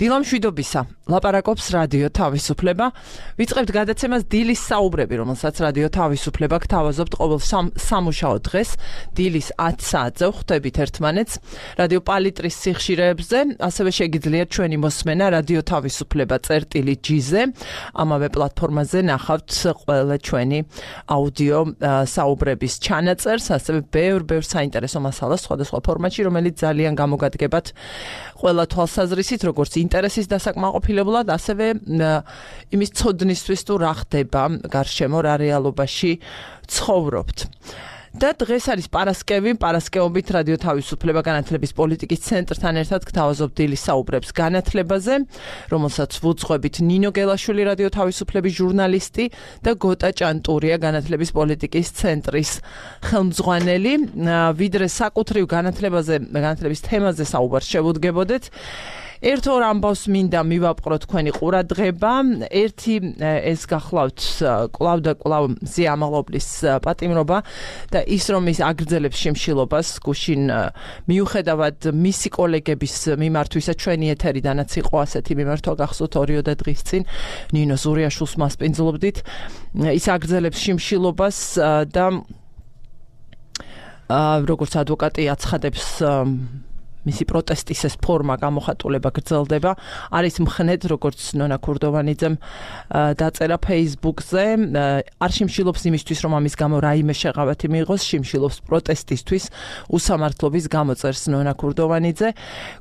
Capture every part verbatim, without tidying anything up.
დილამშვიდობისა, ლაპარაკობს რადიო თავისუფლება. ვიწყებთ გადაცემას დილის საუბრები, რომელსაც რადიო თავისუფლება გთავაზობთ ყოველ სამუშაო დღეს, დილის ათი საათზე ხვდებით ერთმანეთს. რადიო პალიტრის სიხშირეებზე, ასევე შეგიძლიათ ჩვენი მოსმენა რადიო თავისუფლება წერტილი ჯი-ზე. ამავე პლატფორმაზე ნახავთ ყველა ჩვენი აუდიო საუბრების ჩანაწერს, ასევე ბევრ ბევრ საინტერესო მასალას სხვადასხვა ფორმატში, რომელიც ძალიან გამოგადგებათ ყველა თვალსაზრისით, როგორც ინტერესის დასაკმაყოფილებლად, ასევე იმის ცოდნისთვის თუ რა ხდება გარშემო, რა რეალობაში ცხოვრობთ. და დღეს არის პარასკევი, პარასკევობით რადიო თავისუფლება განათლების პოლიტიკის ცენტრთან ერთად გთავაზობთ დილის საუბრებს განათლებაზე, რომელსაც ვუძღვებით ნინო გელაშვილი რადიო თავისუფლების ჟურნალისტი და გოტა ჭანტურია განათლების პოლიტიკის ცენტრის ხელმძღვანელი. ვიდრე საკუთრივ განათლებაზე, განათლების თემაზე საუბარს შევუდგებოდეთ, ერთ ორ ამბავს მინდა მივაპყრო თქვენი ყურადღება. ერთი ეს გახლავთ კვლავ და კვლავ ზეამაღლობლის პატიმრობა და ის რომ ის აგრძელებს შიმშილობას გუშინ მიუხედავად მისი კოლეგების მიმართვისა ჩვენი ეთერიდანაც იყო ასეთი მიმართვა გახსოვთ ორიოდე დღის წინ ნინო ზურიაშვილს მასპინძლობდით. ის აგრძელებს შიმშილობას და როგორც ადვოკატი აცხადებს, მისი პროტესტის ეს ფორმა გამოხატულება გრძელდება. არის მხნედ, როგორც ნონა ქურდოვანიძემ დაწერა Facebook-ზე, არ შიმშილობს იმისთვის, რომ ამის გამო რაიმე შეღავათი მიიღოს, შიმშილობს პროტესტისთვის, უსამართლობის გამოწერს ნონა ქურდოვანიძე.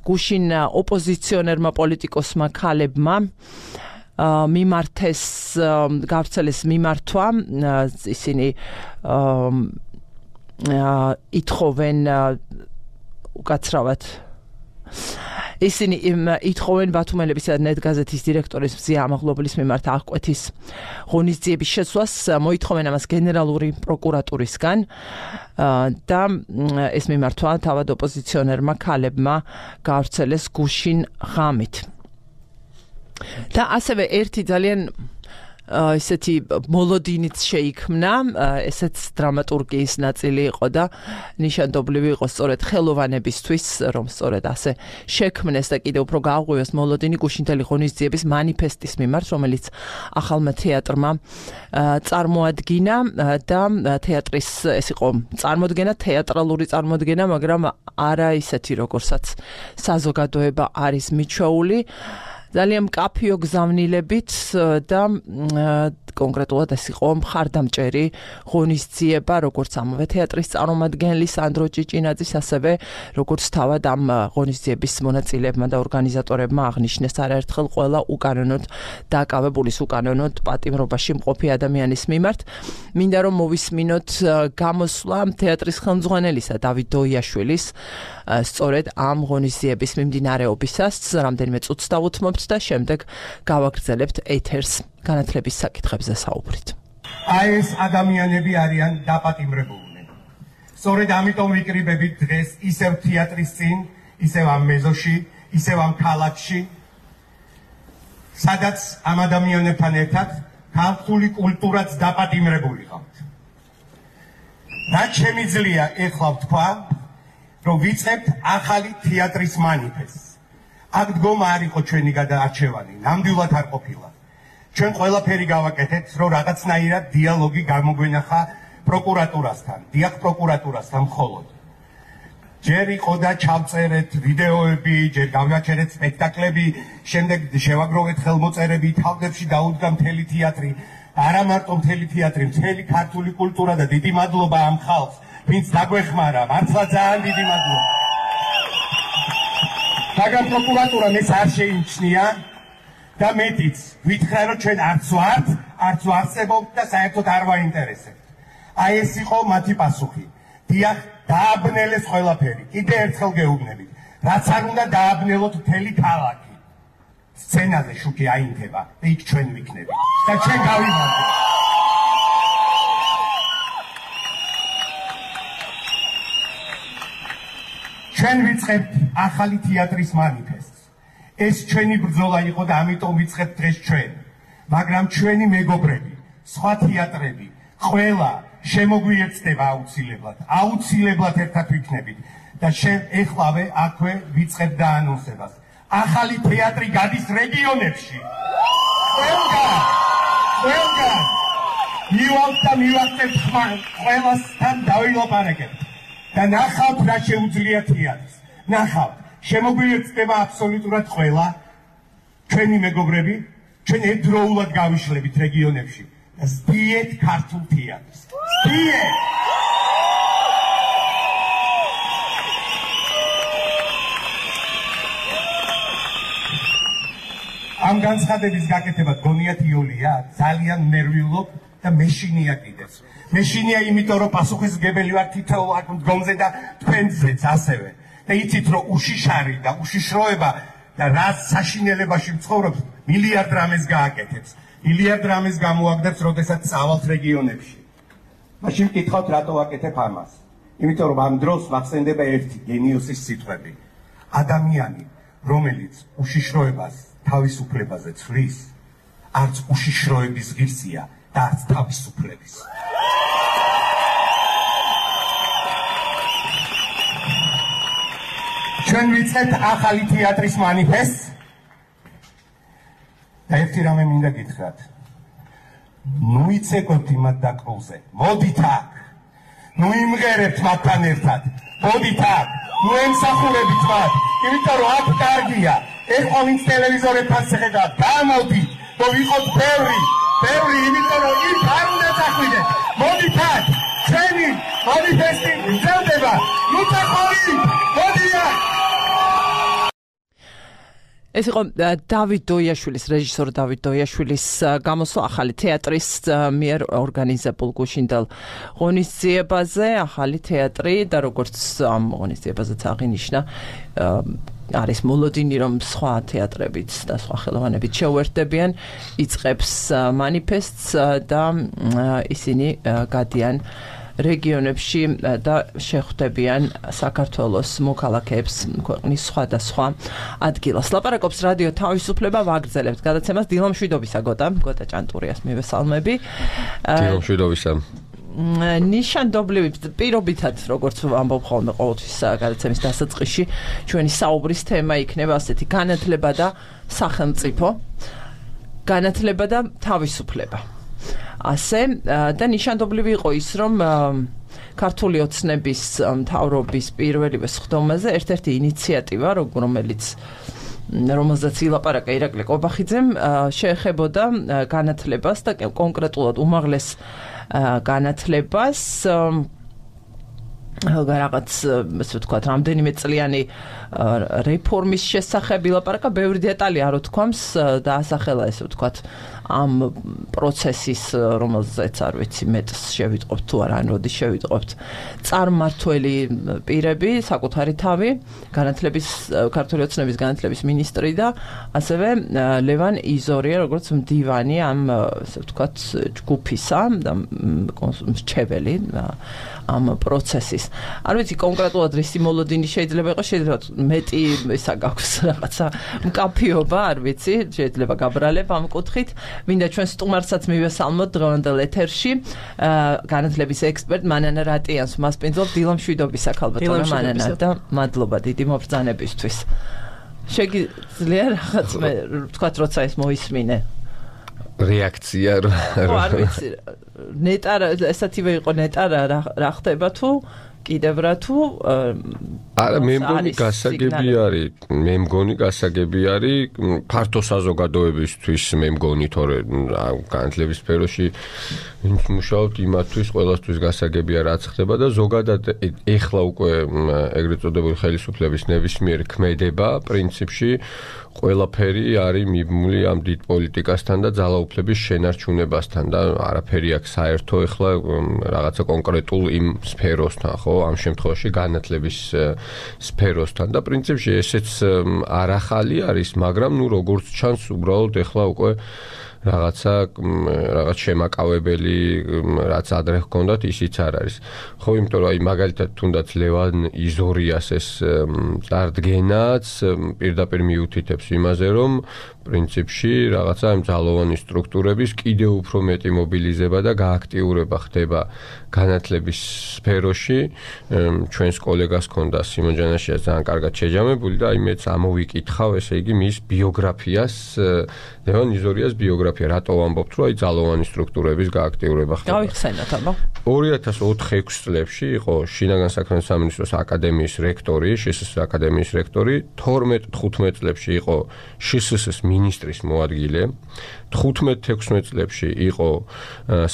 გუშინ ოპოზიციონერმა პოლიტიკოსმა ქალებმა მიმართეს, გავრცელეს მიმართვა, ისინი ითხოვენ უკაცრავად. ისინი ითხოვენ ბათუმელების ნეტგაზეთის დირექტორის ზეამაღლობლის მიმართ აღკვეთის ღონისძიების შეცვლას, მოითხოვენ ამას გენერალური პროკურატურისგან და ეს მიმართვა თავად ოპოზიციონერმა ქალებმა გავრცელეს გუშინ ღამით. და ასევე ერთი ძალიან ისეთი მოლოდინიც შეიქმნა, ესეც დრამატურგიის ნაწილი იყო და ნიშანდობლივი იყო სწორედ ხელოვანებისთვის, რომ სწორედ ასე შექმნეს და კიდევ უფრო გააღვივეს მოლოდინი გუშინთელი ღონისძიების მანიფესტის მიმართ, რომელიც ახალმა თეატრმა წარმოადგინა და თეატრის ეს იყო წარმოდგენა, თეატრალური წარმოდგენა, მაგრამ არა ისეთი, როგორცაც საზოგადოება არის მიჩვეული. ძალიან მკაფიო გზავნილებით და კონკრეტულად ეს იყო მხარდამჭერი ღონისძიება, როგორც ამავე თეატრის წარმომადგენლის სანდრო ჭიჭინაძის, ასევე როგორც თავად ამ ღონისძიების მონაწილეებმა და ორგანიზატორებმა აღნიშნეს არაერთხელ ყველა უკანონოდ დაკავებულის, უკანონოდ პატიმრობაში მყოფი ადამიანის მიმართ. მინდა რომ მოვისმინოთ გამოსვლა თეატრის ხელმძღვანელისა დავით დოიაშვილის სწორედ ამ ღონისძიების მიმდინარეობისას, რამდენიმე წუთს დავუთმობთ და შემდეგ გავაგრძელებთ ეთერს განათლების საკითხებზე საუბრით. აი ეს ადამიანები არიან დაპატიმრებულნი. სწორედ ამიტომ ვიკრიბებით დღეს ისევ თეატრის წინ, ისევ ამ მეზოში, ისევ ამ ქალაქში, სადაც ამ ადამიანებთან ერთად ქართული კულტურაც დაპატიმრებული ყავთ. რაც შემიძლია ეხლა ვთქვა, რომ ვიწყებთ ახალი თეატრის მანიფესტს. აქ დგომა არ იყო ჩვენი გადაარჩევანი, ნამდვილად არ ყოფილა. ჩვენ ყველაფერი გავაკეთეთ, რომ რაღაცნაირად დიალოგი გამოგვენახა პროკურატურასთან, დიახ პროკურატურასთან მხოლოდ. ჯერ იყო და ჩავწერეთ ვიდეოები, ჯერ გავაჩერეთ სპექტაკლები, შემდეგ შევაგროვეთ ხელმოწერები, თავდებში დაუდგა მთელი თეატრი, არა მარტო მთელი თეატრი, მთელი ქართული კულტურა და დიდი მადლობა ამ ხალხს, ვინც დაგვეხმარა, მართლა ძალიან დიდი მადლობა. მაგრამ პროკურატურამ ეს არ შეიმჩნია და მეტიც, ვითხრა რომ ჩვენ არც ვართ, არც ვარსებობთ და საერთოდ არ ვაინტერესებთ. აი ეს იყო მათი პასუხი. დიახ, დააბნელეს ყველაფერი. კიდე ერთხელ გეუბნებით, რაც არ უნდა დააბნელოთ მთელი ქალაქი. სცენაზე შუქი აინთება და იქ ჩვენ ვიქნებით და ჩვენ გავიმარჯვებთ. ჩვენ ვიწყებთ ახალი თეატრის მანიფესტს. ეს ჩვენი ბრძოლა იყო და ამიტომ ვიწყებთ დღეს ჩვენ. მაგრამ ჩვენი მეგობრები, სხვა თეატრები, ყველა შემოგვიერთდება აუცილებლად. აუცილებლად ერთად ვიქნებით და შენ ეხლავე აქვე ვიწყებ და ანონსებას. ახალი თეატრი გადის რეგიონებში. ყველგან, ყველგან მივალთ და მივახცევთ ყველასთან დავილაპარაკებთ და ნახავთ რა შეუძლია თეატრს. ნახავთ, შემოგვიეცდება აბსოლუტურად ყველა ჩვენი მეგობრები, ჩვენ ერთდროულად გავიშლებით რეგიონებში და ზდიეთ ქართულ თეატრს. ზდიეთ! ამ განცხადების გაკეთება გონიათ იოლია, ძალიან ნერვიულობ და მეშინია კიდეც. მეშინია იმიტომ, რომ პასუხისმგებელი ვარ თითოეულ აქ მდგომზე და თქვენზეც ასევე. და იცით, რომ უშიშარი და უშიშროება და რა საშინელებაში მცხოვრობს, მილიარდ რამეს გააკეთებს. მილიარდ რამეს გამოაგდებს, როდესაც წავალთ რეგიონებში. მაშინ ვკითხავთ, რატო ვაკეთებ ამას? იმიტომ, რომ ამ დროს ვახსენდება ერთი გენიოსის სიტყვები. ადამიანი, რომელიც უშიშროებას თავისუფლებაზე ცვლის, არც უშიშროების ღირსია და არც თავისუფლების. ჩვენ ვიწყებთ ახალი თეატრის მანიფესტს და ერთი რამე მინდა გითხრათ. ნუ იცეკვებთ იმათ დაკრულზე, მოდით აქ, ნუ იმღერებთ მათთან ერთად, მოდით აქ, ნუ ემსახურებით მათ, იმიტომ რომ აქ კარგია. ეხლა ვინც ტელევიზორებთან შეხედავთ, გამოდით, რომ ვიყოთ ბევრი, ბევრი, იმიტომ რომ იქ არ უნდა წახვიდეთ. მოდით აქ, ჩვენი მანიფესტი გრძელდება, ნუ წახვიდეთ, მოდით. ეს იყო დავით დოიაშვილის, რეჟისორ დავით დოიაშვილის გამოსვლა ახალი თეატრის მიერ ორგანიზებულ გუშინდელ ღონისძიებაზე. ახალი თეატრი და როგორც ამ ღონისძიებაზეც აღინიშნა, არის მოლოდინი, რომ სხვა თეატრებიც და სხვა ხელოვანებიც შეუერთდებიან, იწყებს მანიფესტს და ისინი გადიან რეგიონებში და შეხვდებიან საქართველოს მოქალაქეებს ქვეყნის სხვადასხვა ადგილას. ლაპარაკობს რადიო თავისუფლება, ვაგრძელებთ გადაცემას. დილამშვიდობისა გოტა, გოტა ჭანტურიას მივესალმები. დილამშვიდობისა. ნიშანდობლივი პირობითად, როგორც ამბობ ხოლმე ყოველთვის გადაცემის დასაწყისში, ჩვენი საუბრის თემა იქნება ასეთი: განათლება და სახელმწიფო, განათლება და თავისუფლება. ასე და ნიშანდობლივი იყო ის, რომ ქართული ოცნების მთავრობის პირველივე სხდომაზე ერთ-ერთი ინიციატივა, რომელიც რომელზეც ილაპარაკა ირაკლი ყობახიძემ, შეეხებოდა განათლებას და კონკრეტულად უმაღლეს განათლებას. რაღაც ასე ვთქვათ, რამდენიმე წლიანი რეფორმის შესახებ ილაპარაკა, ბევრი დეტალი არ უთქვამს და ასახელა ესე ვთქვათ ამ პროცესის, რომელზეც არ ვიცი მეტს შევიტყობთ თუ არა, ან როდის შევიტყობთ, წარმმართველი პირები, საკუთარი თავი, განათლების ქართული ოცნების განათლების მინისტრი და ასევე ლევან იზორია, როგორც მდივანი ამ ასე ვთქვათ ჯგუფისა და მრჩეველი ამ პროცესის. არ ვიცი კონკრეტულად რისი მოლოდინი შეიძლება იყოს, შეიძლება მეტი ისა გაქვს რაღაცა მკაფიობა, არ ვიცი, შეიძლება გაბრალებ ამ კუთხით. მინდა ჩვენ სტუმარსაც მივესალმოთ დღევანდელ ეთერში, განათლების ექსპერტ მანანა რატიანს მასპინძლობ. დილამშვიდობისა ქალბატონო მანანა და მადლობა დიდი მობრძანებისთვის. შეგიძლია რაღაც მე ვთქვათ, როცა ეს მოისმინე რეაქცია ხო არ ვიცი ნეტა ესათივე იყო ნეტა რა ხდება თუ კიდევ რა თუ არა მე მგონი გასაგები არის მე მგონი გასაგები არის ფართო საზოგადოებისთვის მე მგონი თორე განათლების სფეროში ვინც მუშაობთ იმათთვის ყველასთვის გასაგებია რაც ხდება და ზოგადად ეხლა უკვე ეგრეთ წოდებული ხელისუფლების ნებისმიერი ქმედება პრინციპში ყველაფერი არის მიბმული ამ დიდ პოლიტიკასთან და ძალაუფლების შენარჩუნებასთან და არაფერი აქვს საერთო ეხლა რაღაცა კონკრეტულ იმ სფეროსთან ხო ამ შემთხვევაში განათლების სფეროსთან და პრინციპში ესეც არ ახალი არის მაგრამ ნუ როგორც ჩანს უბრალოდ ეხლა უკვე რაღაცა რაღაც შემაკავებელი რაც ადრე ჰქონდათ ისიც არ არის ხო იმიტომ რომ აი მაგალითად თუნდაც ლევან იზორიას ეს წარდგენაც პირდაპირ მიუთითებს იმაზე რომ პრინციპში რაღაცა იმ ძალოვანი სტრუქტურების კიდევ უფრო მეტი მობილიზება და გააქტიურება ხდება განათლების სფეროში. ჩვენს კოლეგას ჰქონდა სიმონ ჯანაშია ძალიან კარგად შეჯამებული და აი მეც ამოვიკითხავ, ესე იგი მის ბიოგრაფიას, ლევან იზორიას ბიოგრაფია, რატო ვამბობთ, რომ აი ძალოვანი სტრუქტურების გააქტიურება ხდება. გავიხსენოთ აბა. ორი ათას ოთხ ექვს წლებში იყო შინაგან საქმეთა სამინისტროს აკადემიის რექტორი, შსს აკადემიის რექტორი, თორმეტ თხუთმეტ წლებში იყო შსს მინისტრის მოადგილე, თხუთმეტ თექვსმეტ წლებში იყო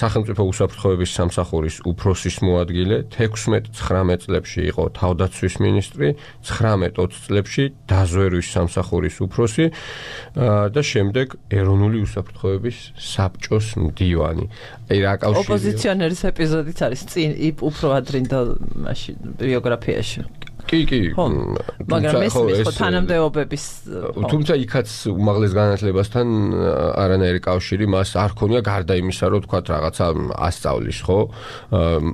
სახელმწიფო უსაფრთხოების სამსახურის უფროსის მოადგილე, თექვსმეტ ცხრამეტ წლებში იყო თავდაცვის მინისტრი, ცხრამეტ ოცი წლებში დაზვერვის სამსახურის უფროსი და შემდეგ ეროვნული უსაფრთხოების საბჭოს მდივანი. აი რა კავშირია ოპოზიციონერის ეპიზოდიც არის წინ უფრო ადრინდელ მაშინ ბიოგრაფიაში. კი, კი. მაგრამ ეს ხო თანამდებობების თუმცა იქაც უმაღლეს განათლებასთან არანაირი კავშირი მას არ ქონია გარდა იმისა, რომ თქვა რაღაცა ასწავლის, ხო?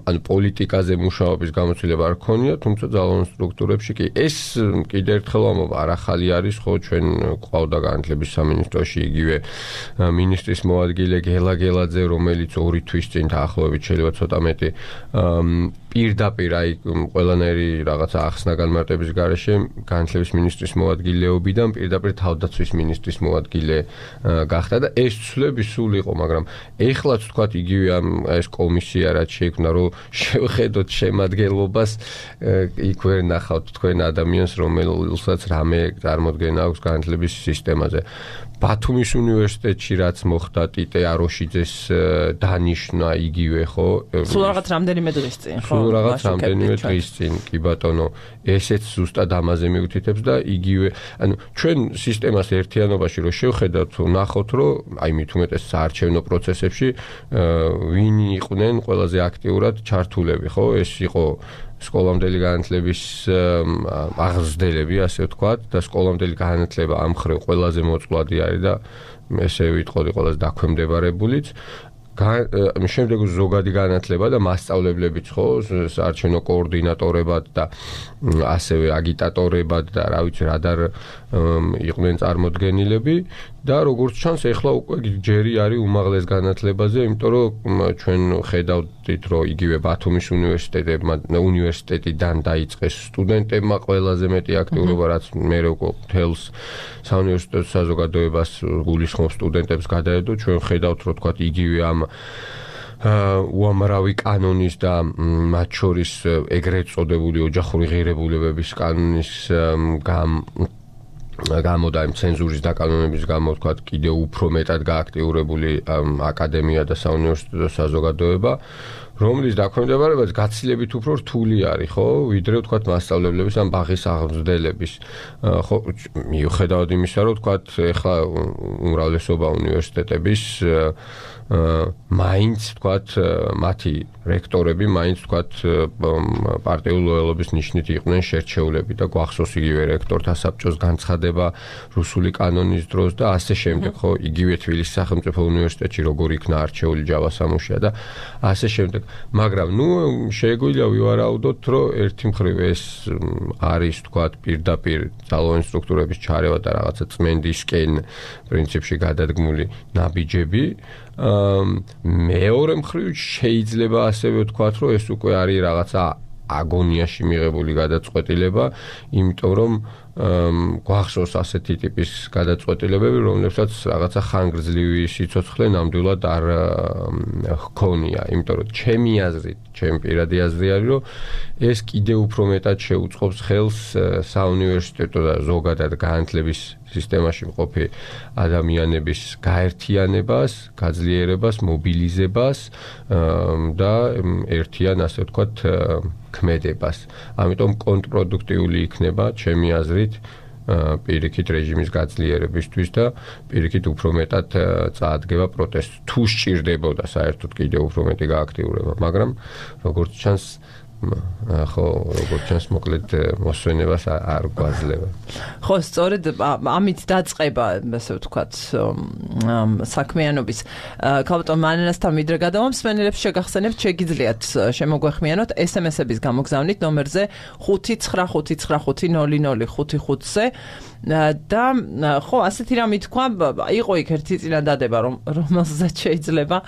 ანუ პოლიტიკაზე მუშაობის გამოცდილება არ ქონია, თუმცა ძალოვან სტრუქტურებში კი. ეს კიდევ ერთხელ ამბობ, არ ახალი არის, ხო, ჩვენ ყავდა განათლების სამინისტროში იგივე მინისტრის მოადგილე გელა გელაძე, რომელიც ორი თვის წინ დაახლოებით შეიძლება ცოტა მეტი პირდაპირ აი ყველანაირი რაღაცა ახსნა განმარტების გარეშე განათლების მინისტრის მოადგილეობიდან პირდაპირ თავდაცვის მინისტრის მოადგილე გახდა და ეს ცვლები სულ იყო, მაგრამ ეხლაც თქვათ იგივე ამ ეს კომისია რაც შეიქმნა, რომ შევხედოთ შემადგენლობას, იქ ვერ ნახავთ თქვენ ადამიანს, რომელსაც რამე წარმოდგენა აქვს განათლების სისტემაზე. ბათუმის უნივერსიტეტში რაც მოხდა ტიტე აროშიძეს დანიშნა იგივე, ხო? სულ რაღაც რამდენიმე დღის წინ, ხო? სულ რაღაც რამდენიმე დღის წინ, კი ბატონო, ესეც ზუსტად ამაზე მიუთითებს და იგივე, ანუ ჩვენ სისტემას ერთიანობაში რო შევხედავთ, ნახოთ, რომ აი მით უმეტეს საარჩევნო პროცესებში ვინ იყვნენ ყველაზე აქტიურად ჩართულები, ხო? ეს იყო სკოლამდელი განათლების აღზრდელები, ასე ვთქვათ, და სკოლამდელი განათლება ამ მხრივ ყველაზე მოწყვლადი არის და ესე ვიტყოდი ყველაზე დაქვემდებარებულიც. შემდეგ ზოგადი განათლება და მასწავლებლებიც, ხო, საარჩევნო კოორდინატორებად და ასევე აგიტატორებად და რა ვიცი, რადარ იყვნენ წარმოდგენილები და როგორც ჩანს, ეხლა უკვე ჯერი არის უმაღლეს განათლებაზე, იმიტომ რომ ჩვენ ხედავთ, რომ იგივე ბათუმის უნივერსიტეტებმა უნივერსიტეტიდან დაიწყეს სტუდენტებმა ყველაზე მეტი აქტიურობა, რაც მერე უკვე თელს საუნივერსიტეტო საზოგადოებას გულისხმობს სტუდენტებს გადაედო, ჩვენ ხედავთ, რომ თქვა იგივე ამ უამრავი კანონის და მათ შორის ეგრეთ წოდებული ოჯახური ღირებულებების კანონის გამ გამო და იმ ცენზურის დაკანონების გამო თქვა კიდევ უფრო მეტად გააქტიურებული აკადემია და საუნივერსიტეტო საზოგადოება, რომლის დაქვემდებარებაც გაცილებით უფრო რთული არის, ხო, ვიდრე ვთქვათ მასწავლებლების ან ბაღის აღმზრდელების. ხო, მიუხედავად იმისა, რომ ვთქვათ, ეხლა უმრავლესობა უნივერსიტეტების მაინც ვთქვათ, მათი რექტორები მაინც ვთქვათ პარტიული ლოიალობის ნიშნით იყვნენ შერჩეულები და გვახსოვს იგივე რექტორთა საბჭოს განცხადება რუსული კანონის დროს და ასე შემდეგ, ხო, იგივე თბილისის სახელმწიფო უნივერსიტეტში როგორ იქნა არჩეული ჯავა სამუშია და ასე შემდეგ. მაგრამ ნუ შეგვიძლია ვივარაუდოთ, რომ ერთი მხრივ ეს არის თქვათ პირდაპირ ძალოვანი სტრუქტურების ჩარევა და რაღაცა წმენდისკენ პრინციპში გადადგმული ნაბიჯები. მეორე მხრივ შეიძლება ასევე ვთქვათ, რომ ეს უკვე არის რაღაცა აგონიაში მიღებული გადაწყვეტილება, იმიტომ რომ გვახსოვს ასეთი ტიპის გადაწყვეტილებები, რომლებსაც რაღაცა ხანგრძლივი სიცოცხლე ნამდვილად არ ჰქონია, იმიტომ რომ ჩემი აზრით, ჩემი პირადი აზრი არის, რომ ეს კიდევ უფრო მეტად შეუწყობს ხელს საუნივერსიტეტო და ზოგადად განათლების სისტემაში მყოფი ადამიანების გაერთიანებას, გაძლიერებას, მობილიზებას და ერთიან, ასე ვთქვათ, ქმედებას. ამიტომ კონტრპროდუქტიული იქნება, ჩემი აზრით, პირიქით რეჟიმის გაძლიერებისთვის და პირიქით უფრო მეტად წაადგება პროტესტ. თუ სჭირდებოდა საერთოდ კიდევ უფრო მეტი გააქტიურება, მაგრამ როგორც ჩანს, ხო, როგორც ჩანს, მოკლედ მოსვენებას არ გვაძლევა. ხო, სწორედ ამით დაწყება, ასე ვთქვათ, საქმიანობის. ქალბატონ მანანასთან ვიდრე გადავამსვენელებს, შეგახსენებთ, შეგიძლიათ შემოგვეხმიანოთ ეს ემ ესების გამოგზავნით ნომერზე ხუთი ცხრა ხუთი ცხრა ხუთი ნული ნული ხუთი ხუთზე და ხო, ასეთი რამე თქვა, იყო იქ ერთი წინადადება, რომ რომელსაც შეიძლება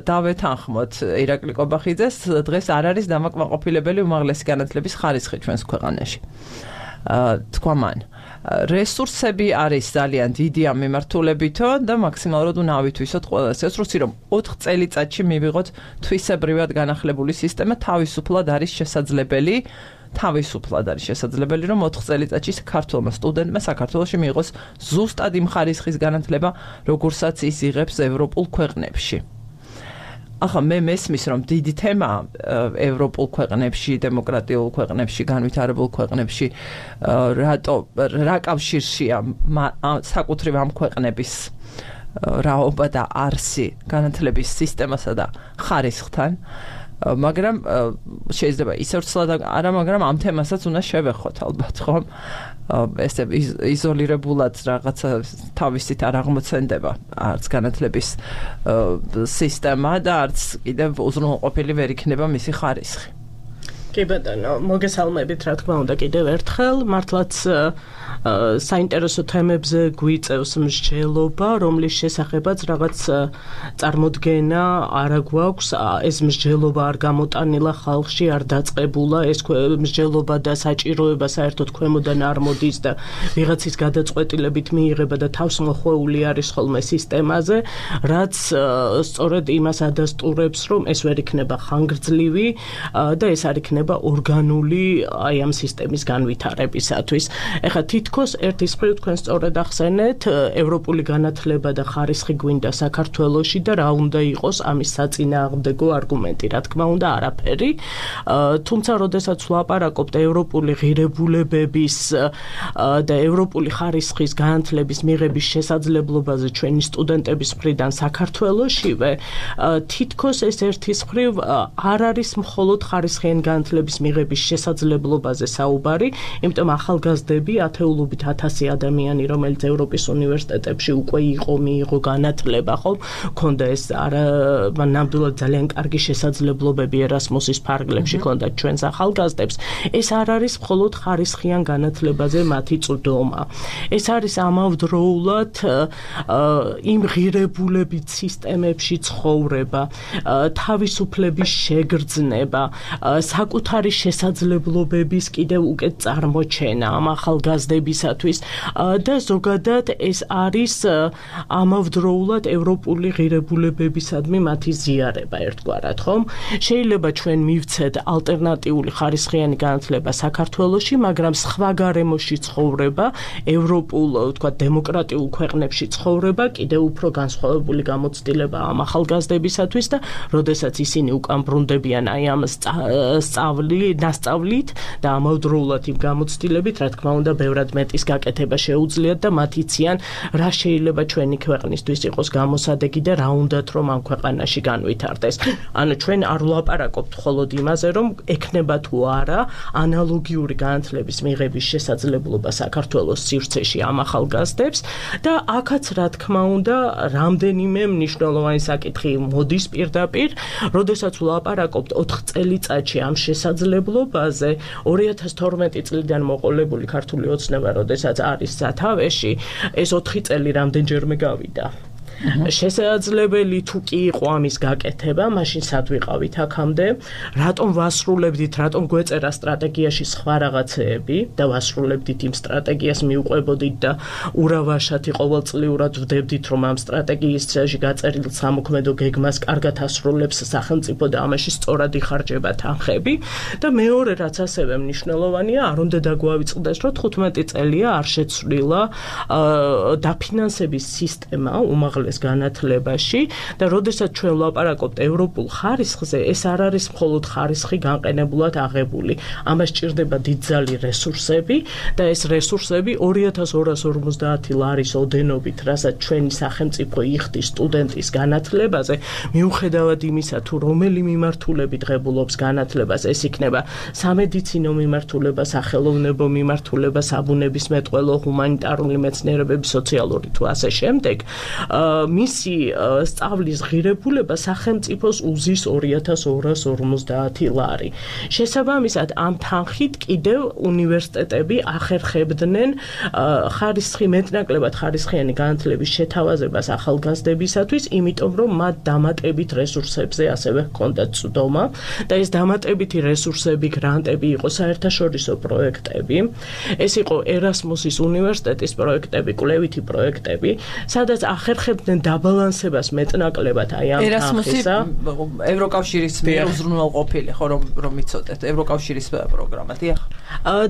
დავეთანხმოთ ირაკლი ყობახიძეს, დღეს არ არის დამაკმაყოფილებელი უმაღლესი განათლების ხარისხი ჩვენს ქვეყანაში. თქვა მან, რესურსები არის ძალიან დიდი ამ მიმართულებითო და მაქსიმალურად უნდა ავითვისოთ ყველა ეს რესურსი, რომ ოთხ წელიწადში მივიღოთ თვისებრივად განახლებული სისტემა, თავისუფლად არის შესაძლებელი თავისუფლად არის შესაძლებელი, რომ ოთხ წელიწადში საქართველოს სტუდენტმა საქართველოში მიიღოს ზუსტად იმ ხარისხის განათლება, როგორცაც ის იღებს ევროპულ ქვეყნებში. ახლა მე მესმის, რომ დიდი თემა ევროპულ ქვეყნებში, დემოკრატიულ ქვეყნებში, განვითარებულ ქვეყნებში, რატო რა კავშირშია საკუთრივ ამ ქვეყნების რაობა და არსი განათლების სისტემასა და ხარისხთან. მაგრამ შეიძლება ისე ვცლად არა, მაგრამ ამ თემასაც უნდა შევეხოთ ალბათ, ხომ? ესე იზოლირებულად რაღაცა თავისით არ აღმოცენდება არც განათლების სისტემა და არც კიდევ უზრუნველყოფილი ვერ იქნება მისი ხარისხი. კი ბატონო, მოგესალმებით, რა თქმა უნდა, კიდევ ერთხელ, მართლაც საინტერესო თემებზე გვიწევს მსჯელობა, რომლის შესახებაც რაღაც წარმოდგენა არ გვაქვს, ეს მსჯელობა არ გამოტანილა ხალხში, არ დაწყებულა, ეს მსჯელობა და საჭიროება საერთოდ ქვემოდან არ მოდის და ვიღაცის გადაწყვეტილებით მიიღება და თავს მოხვეული არის ხოლმე სისტემაზე, რაც სწორედ იმას ადასტურებს, რომ ეს ვერ იქნება ხანგრძლივი და ეს არ იქნება ორგანული აი ამ სისტემის განვითარებისათვის. ეხლა თითქოს ერთის მხრივ თქვენ სწორედ ახსენეთ, ევროპული განათლება და ხარისხი გვინდა საქართველოში და რა უნდა იყოს ამის საწინააღმდეგო არგუმენტი, რა თქმა უნდა, არაფერი. თუმცა, როდესაც ვლაპარაკობთ ევროპული ღირებულებების და ევროპული ხარისხის განათლების მიღების შესაძლებლობაზე ჩვენი სტუდენტების მხრიდან საქართველოშივე, თითქოს ეს ერთის მხრივ არ არის მხოლოდ ხარისხიანი განათლების მიღების შესაძლებლობაზე საუბარი, იმიტომ ახალგაზრდები ათეულობით ათასი ადამიანი, რომელიც ევროპის უნივერსიტეტებში უკვე იყო, მიიღო განათლება, ხო? ქონდა ეს არა ნამდვილად ძალიან კარგი შესაძლებლობები ერასმუსის ფარგლებში ქონდათ ჩვენს ახალგაზრდებს. ეს არ არის მხოლოდ ხარისხიან განათლებაზე მათი წვდომა. ეს არის ამავდროულად იმ ღირებულებით სისტემებში ცხოვრება, თავისუფლების შეგრძნება, საკუთარი შესაძლებლობების კიდევ უკეთ წარმოჩენა ამ ახალგაზრდებისათვის და ზოგადად ეს არის ამავდროულად ევროპული ღირებულებებისადმი მათი ზიარება ერთგვარად, ხომ? შეიძლება ჩვენ მივცეთ ალტერნატიული ხარისხიანი განათლება საქართველოში, მაგრამ სხვა გარემოში ცხოვრება, ევროპულ, თქვა, დემოკრატიულ ქვეყნებში ცხოვრება კიდევ უფრო განსხვავებული გამოცდილება ამ ახალგაზრდებისათვის და როდესაც ისინი უკან ბრუნდებიან აი ამ სწავლი, დასწავლით და ამავდროულად იმ გამოცდილებით, რა თქმა უნდა, ბევრად მეტის გაკეთება შეუძლიათ და მათ იციან, რა შეიძლება ჩვენი ქვეყნისთვის იყოს გამოსადეგი და რა უნდათ რომ ამ ქვეყანაში განვითარდეს. ანუ ჩვენ არ ვლაპარაკობთ მხოლოდ იმაზე, რომ ექნება თუ არა ანალოგიური განათლების მიღების შესაძლებლობა საქართველოს სივრცეში ამ ახალგაზრდებს და აქაც რა თქმა უნდა, რამდენიმე მნიშვნელოვანი საკითხი მოდის პირდაპირ, როდესაც ვლაპარაკობთ ოთხ წელიწადში ამ შესაძლებლობაზე, ორი ათას თორმეტი წლიდან მოყოლებული ქართული ოცნება, როდესაც არის სათავეში, ეს ოთხი წელი რამდენჯერმე გავიდა. შესაძლებელი თუ კი იყო ამის გაკეთება, მაშინ სად ვიყავით აქამდე, რატომ ვასრულებდით, რატომ გვეწერა სტრატეგიაში სხვა რაღაცეები და ვასრულებდით იმ სტრატეგიას, მიუყვებოდით და ურავაშათი ყოველწლიურად ვდებდით, რომ ამ სტრატეგიისში გაწერილ სამოქმედო გეგმას კარგად ასრულებს სახელმწიფო და ამაში სწორად იხარჯება თანხები და მეორე რაც ასევე მნიშვნელოვანია, არ უნდა დაგვავიწყდეს, რომ თხუთმეტი წელია არ შეცვლილა დაფინანსების სისტემა უმაღლეს უმაღლეს განათლებაში და როდესაც ჩვენ ვლაპარაკობთ ევროპულ ხარისხზე, ეს არ არის მხოლოდ ხარისხი განყენებულად აღებული. ამას ჭირდება დიდძალი რესურსები და ეს რესურსები ორი ათას ორას ორმოცდაათი ლარის ოდენობით, რასაც ჩვენი სახელმწიფო იხდის სტუდენტის განათლებაზე, მიუხედავად იმისა, თუ რომელი მიმართულებით ღებულობს განათლებას, ეს იქნება სამედიცინო მიმართულება, სახელოვნებო მიმართულება, საბუნებისმეტყველო, ჰუმანიტარული მეცნიერებები, სოციალური თუ ასე შემდეგ, მისი სწავლის ღირებულება სახელმწიფოს უზის ორი ათას ორას ორმოცდაათი ლარი. შესაბამისად, ამ თანხით კიდევ უნივერსიტეტები ახერხებდნენ ხარისხი მეტნაკლებად ხარისხიანი განათლების შეთავაზებას ახალგაზრდებისათვის, იმიტომ რომ მათ დამატებით რესურსებზე ასევე ჰქონდათ წვდომა და ეს დამატებითი რესურსები, გრანტები იყო საერთაშორისო პროექტები. ეს იყო ერასმუსის უნივერსიტეტის პროექტები, კვლევითი პროექტები, სადაც ახერხებდნენ დაბალანსებას მეტნაკლებად აი ამ თანხისა. ევროკავშირის მიერ უზრუნველყოფილი, ხო რომ რომ იცოდეთ, ევროკავშირის პროგრამა, დიახ.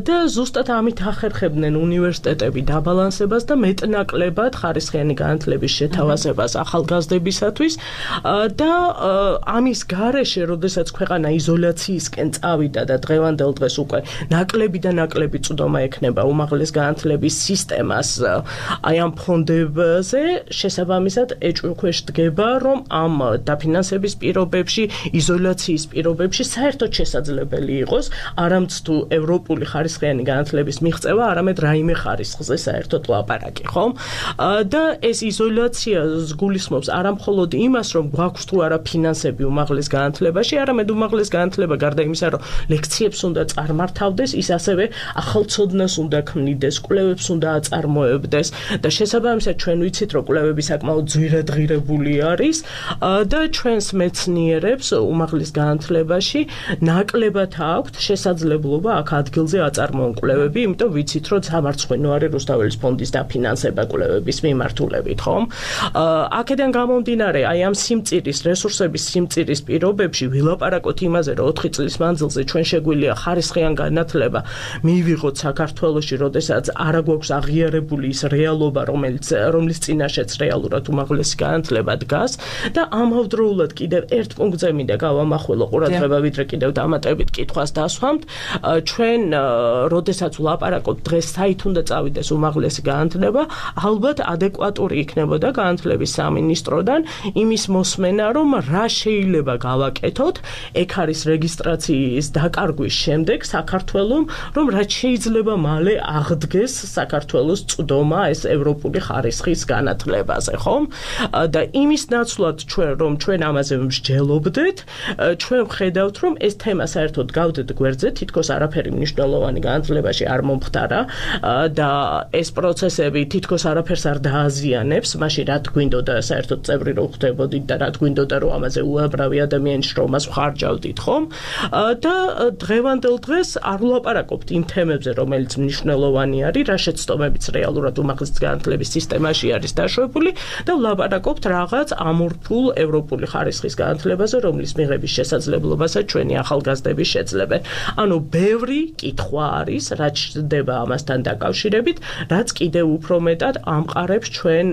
და ზუსტად ამით ახერხებდნენ უნივერსიტეტები დაბალანსებას და მეტნაკლებად ხარისხიანი განათლების შეთავაზებას ახალგაზრდებისათვის და ამის გარეშე, როდესაც ქვეყანა იზოლაციისკენ წავიდა და დღევანდელ დღეს უკვე ნაკლები და ნაკლები წვდომა ექნება უმაღლეს განათლების სისტემას აი ამ ფონდებზე, შესაბამისად ეჭვქვეშ დგება, რომ ამ დაფინანსების პირობებში, იზოლაციის პირობებში საერთოდ შესაძლებელი იყოს არამც თუ ევროპული ხარისხიანი განათლების მიღწევა, არამედ რაიმე ხარისხზე საერთოდ ლაპარაკი, ხომ? და ეს იზოლაცია გულისხმობს არა მხოლოდ იმას, რომ გვაქვს თუ არა ფინანსები უმაღლეს განათლებაში, არამედ უმაღლეს განათლება გარდა იმისა, რომ ლექციებს უნდა წარმართავდეს, ის ასევე ახალცოდნას უნდა ქმნიდეს, კვლევებს უნდა აწარმოებდეს და შესაბამისად ჩვენ ვიცით, რომ კვლევები საკმაოდ ძვირადღირებული არის და ჩვენს მეცნიერებს უმაღლეს განათლებაში ნაკლებად აქვთ შესაძლებლობა აქ ადგილზე აწარმოონ კვლევები, იმიტომ ვიცით, რომ სამარცხვინო არის რუსთაველის ფონდის დაფინანსება კვლევების მიმართულებით, ხომ? აქედან გამომდინარე, აი ამ სიმწირის, რესურსების სიმწირის პირობებში ვილაპარაკოთ იმაზე, რომ ოთხი წლის მანძილზე ჩვენ შეგვიძლია ხარისხიან განათლება მივიღოთ საქართველოში, როდესაც არა გვაქვს აღიარებული ის რეალობა, რომელიც რომლის წინაშეც რეალურად უმაღლესი განათლება დგას და ამავდროულად კიდევ ერთ პუნქტზე მინდა გავამახვილო ყურადღება, ვიდრე კიდევ დამატებით კითხვას დასვამთ, ჩვენ როდესაც ვლაპარაკობთ დღეს საით უნდა წავიდეს უმაღლესი განათლება, ალბათ ადეკვატური იქნებოდა განათლების სამინისტროდან იმის მოსმენა, რომ რა შეიძლება გავაკეთოთ, ეგ არის რეგისტრაციის დაკარგვის შემდეგ საქართველოს, რომ რაც შეიძლება მალე აღდგეს საქართველოს წვდომა ეს ევროპული ხარისხის განათლებაზე, ხომ? და იმის ნაცვლად ჩვენ რომ ჩვენ ამაზე მსჯელობდეთ, ჩვენ ვხედავთ, რომ ეს თემა საერთოდ გავდეთ გვერდზე, თითქოს არაფერი მნიშვნელოვანი განათლებაში არ მომხდარა და ეს პროცესები თითქოს არაფერს არ დააზიანებს, მაშინ რა გვინდოდა საერთოდ წევრი რო ხდებოდით და რა გვინდოდა რომ ამაზე უამრავი ადამიანის შრომას ვხარჯავდით, ხომ? და დღევანდელ დღეს არ ვლაპარაკობთ იმ თემებზე, რომელიც მნიშვნელოვანი არის, რა შეცდომებიც რეალურად უმაღლეს განათლების სისტემაში არის დაშვებული და ვლაპარაკობთ რაღაც ამორფულ ევროპული ხარისხის განათლებაზე, რომლის მიღების შესაძლებლობასაც ჩვენი ახალგაზრდები შეძლებენ. ანუ ბევრი კითხვა არის, რაც ჩნდება ამასთან დაკავშირებით, რაც კიდევ უფრო მეტად ამყარებს ჩვენ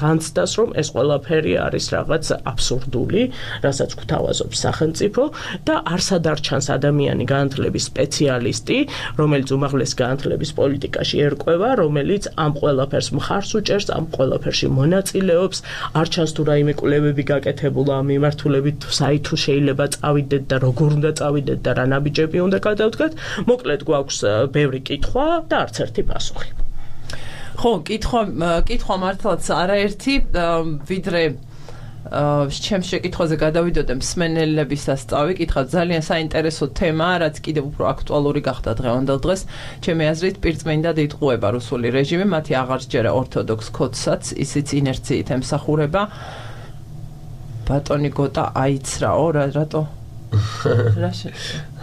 განცდას, რომ ეს ყველაფერი არის რაღაც აბსურდული, რასაც გვთავაზობს სახელმწიფო და არსად არ ჩანს ადამიანი განათლების სპეციალისტი, რომელიც უმაღლეს განათლების პოლიტიკაში ერკვევა, რომელიც ამ ყველაფერს მხარს უჭერს, ამ ყველაფერში მონაწილეობს, არ ჩანს თუ რაიმე კვლევები გაკეთებულა ამ მიმართულებით, საით თუ შეიძლება წავიდეთ და როგორ უნდა წავიდეთ და რა ნაბიჯები უნდა გადავდგათ. მოკლედ გვაქვს ბევრი კითხვა და არც ერთი პასუხი. ხო, კითხვა კითხვა მართლაც არაერთი, ვიდრე ჩემს შეკითხვაზე გადავიდოდე მსმენელებისას წავიკითხა, ძალიან საინტერესო თემაა, რაც კიდევ უფრო აქტუალური გახდა დღევანდელ დღეს. ჩემი აზრით, პირწმინდად იტყუება რუსული რეჟიმი, მათი აღარ სჯერა ორთოდოქს კოდსაც, ისიც ინერციით ემსახურება. ბატონი გოტა აიცრაო, რატო? რა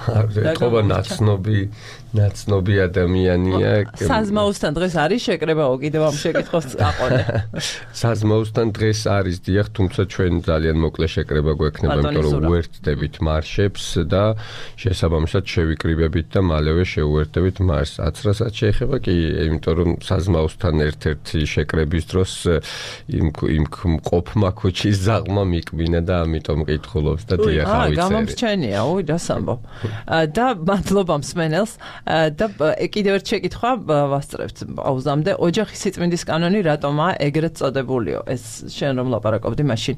ეთქობა ნაცნობი ნაცნობი ადამიანია. საზმაოსთან დღეს არის შეკრებაო კიდევ ამ შეკითხოს აყოლე. საზმაოსთან დღეს არის დიახ, თუმცა ჩვენ ძალიან მოკლე შეკრება გვექნება, იმიტომ რომ უერთდებით მარშებს და შესაბამისად შევიკრიბებით და მალევე შევუერთდებით მარშს. აცრასაც შეეხება კი, იმიტომ რომ საზმაოსთან ერთ-ერთი შეკრების დროს იმ იმ ყოფმა ქუჩის ზაღმა მიკბინა და ამიტომ მკითხულობს და დიახ ავიცერი. აა, გამომრჩენია, უი, დასამბო. და მადლობა მსმენელს და კიდევ ერთ შეკითხვა ვასწრებთ პაუზამდე. ოჯახის სიწმინდის კანონი რატომაა ეგრეთ წოდებულიო? ეს შენ რომ ლაპარაკობდი, მაშინ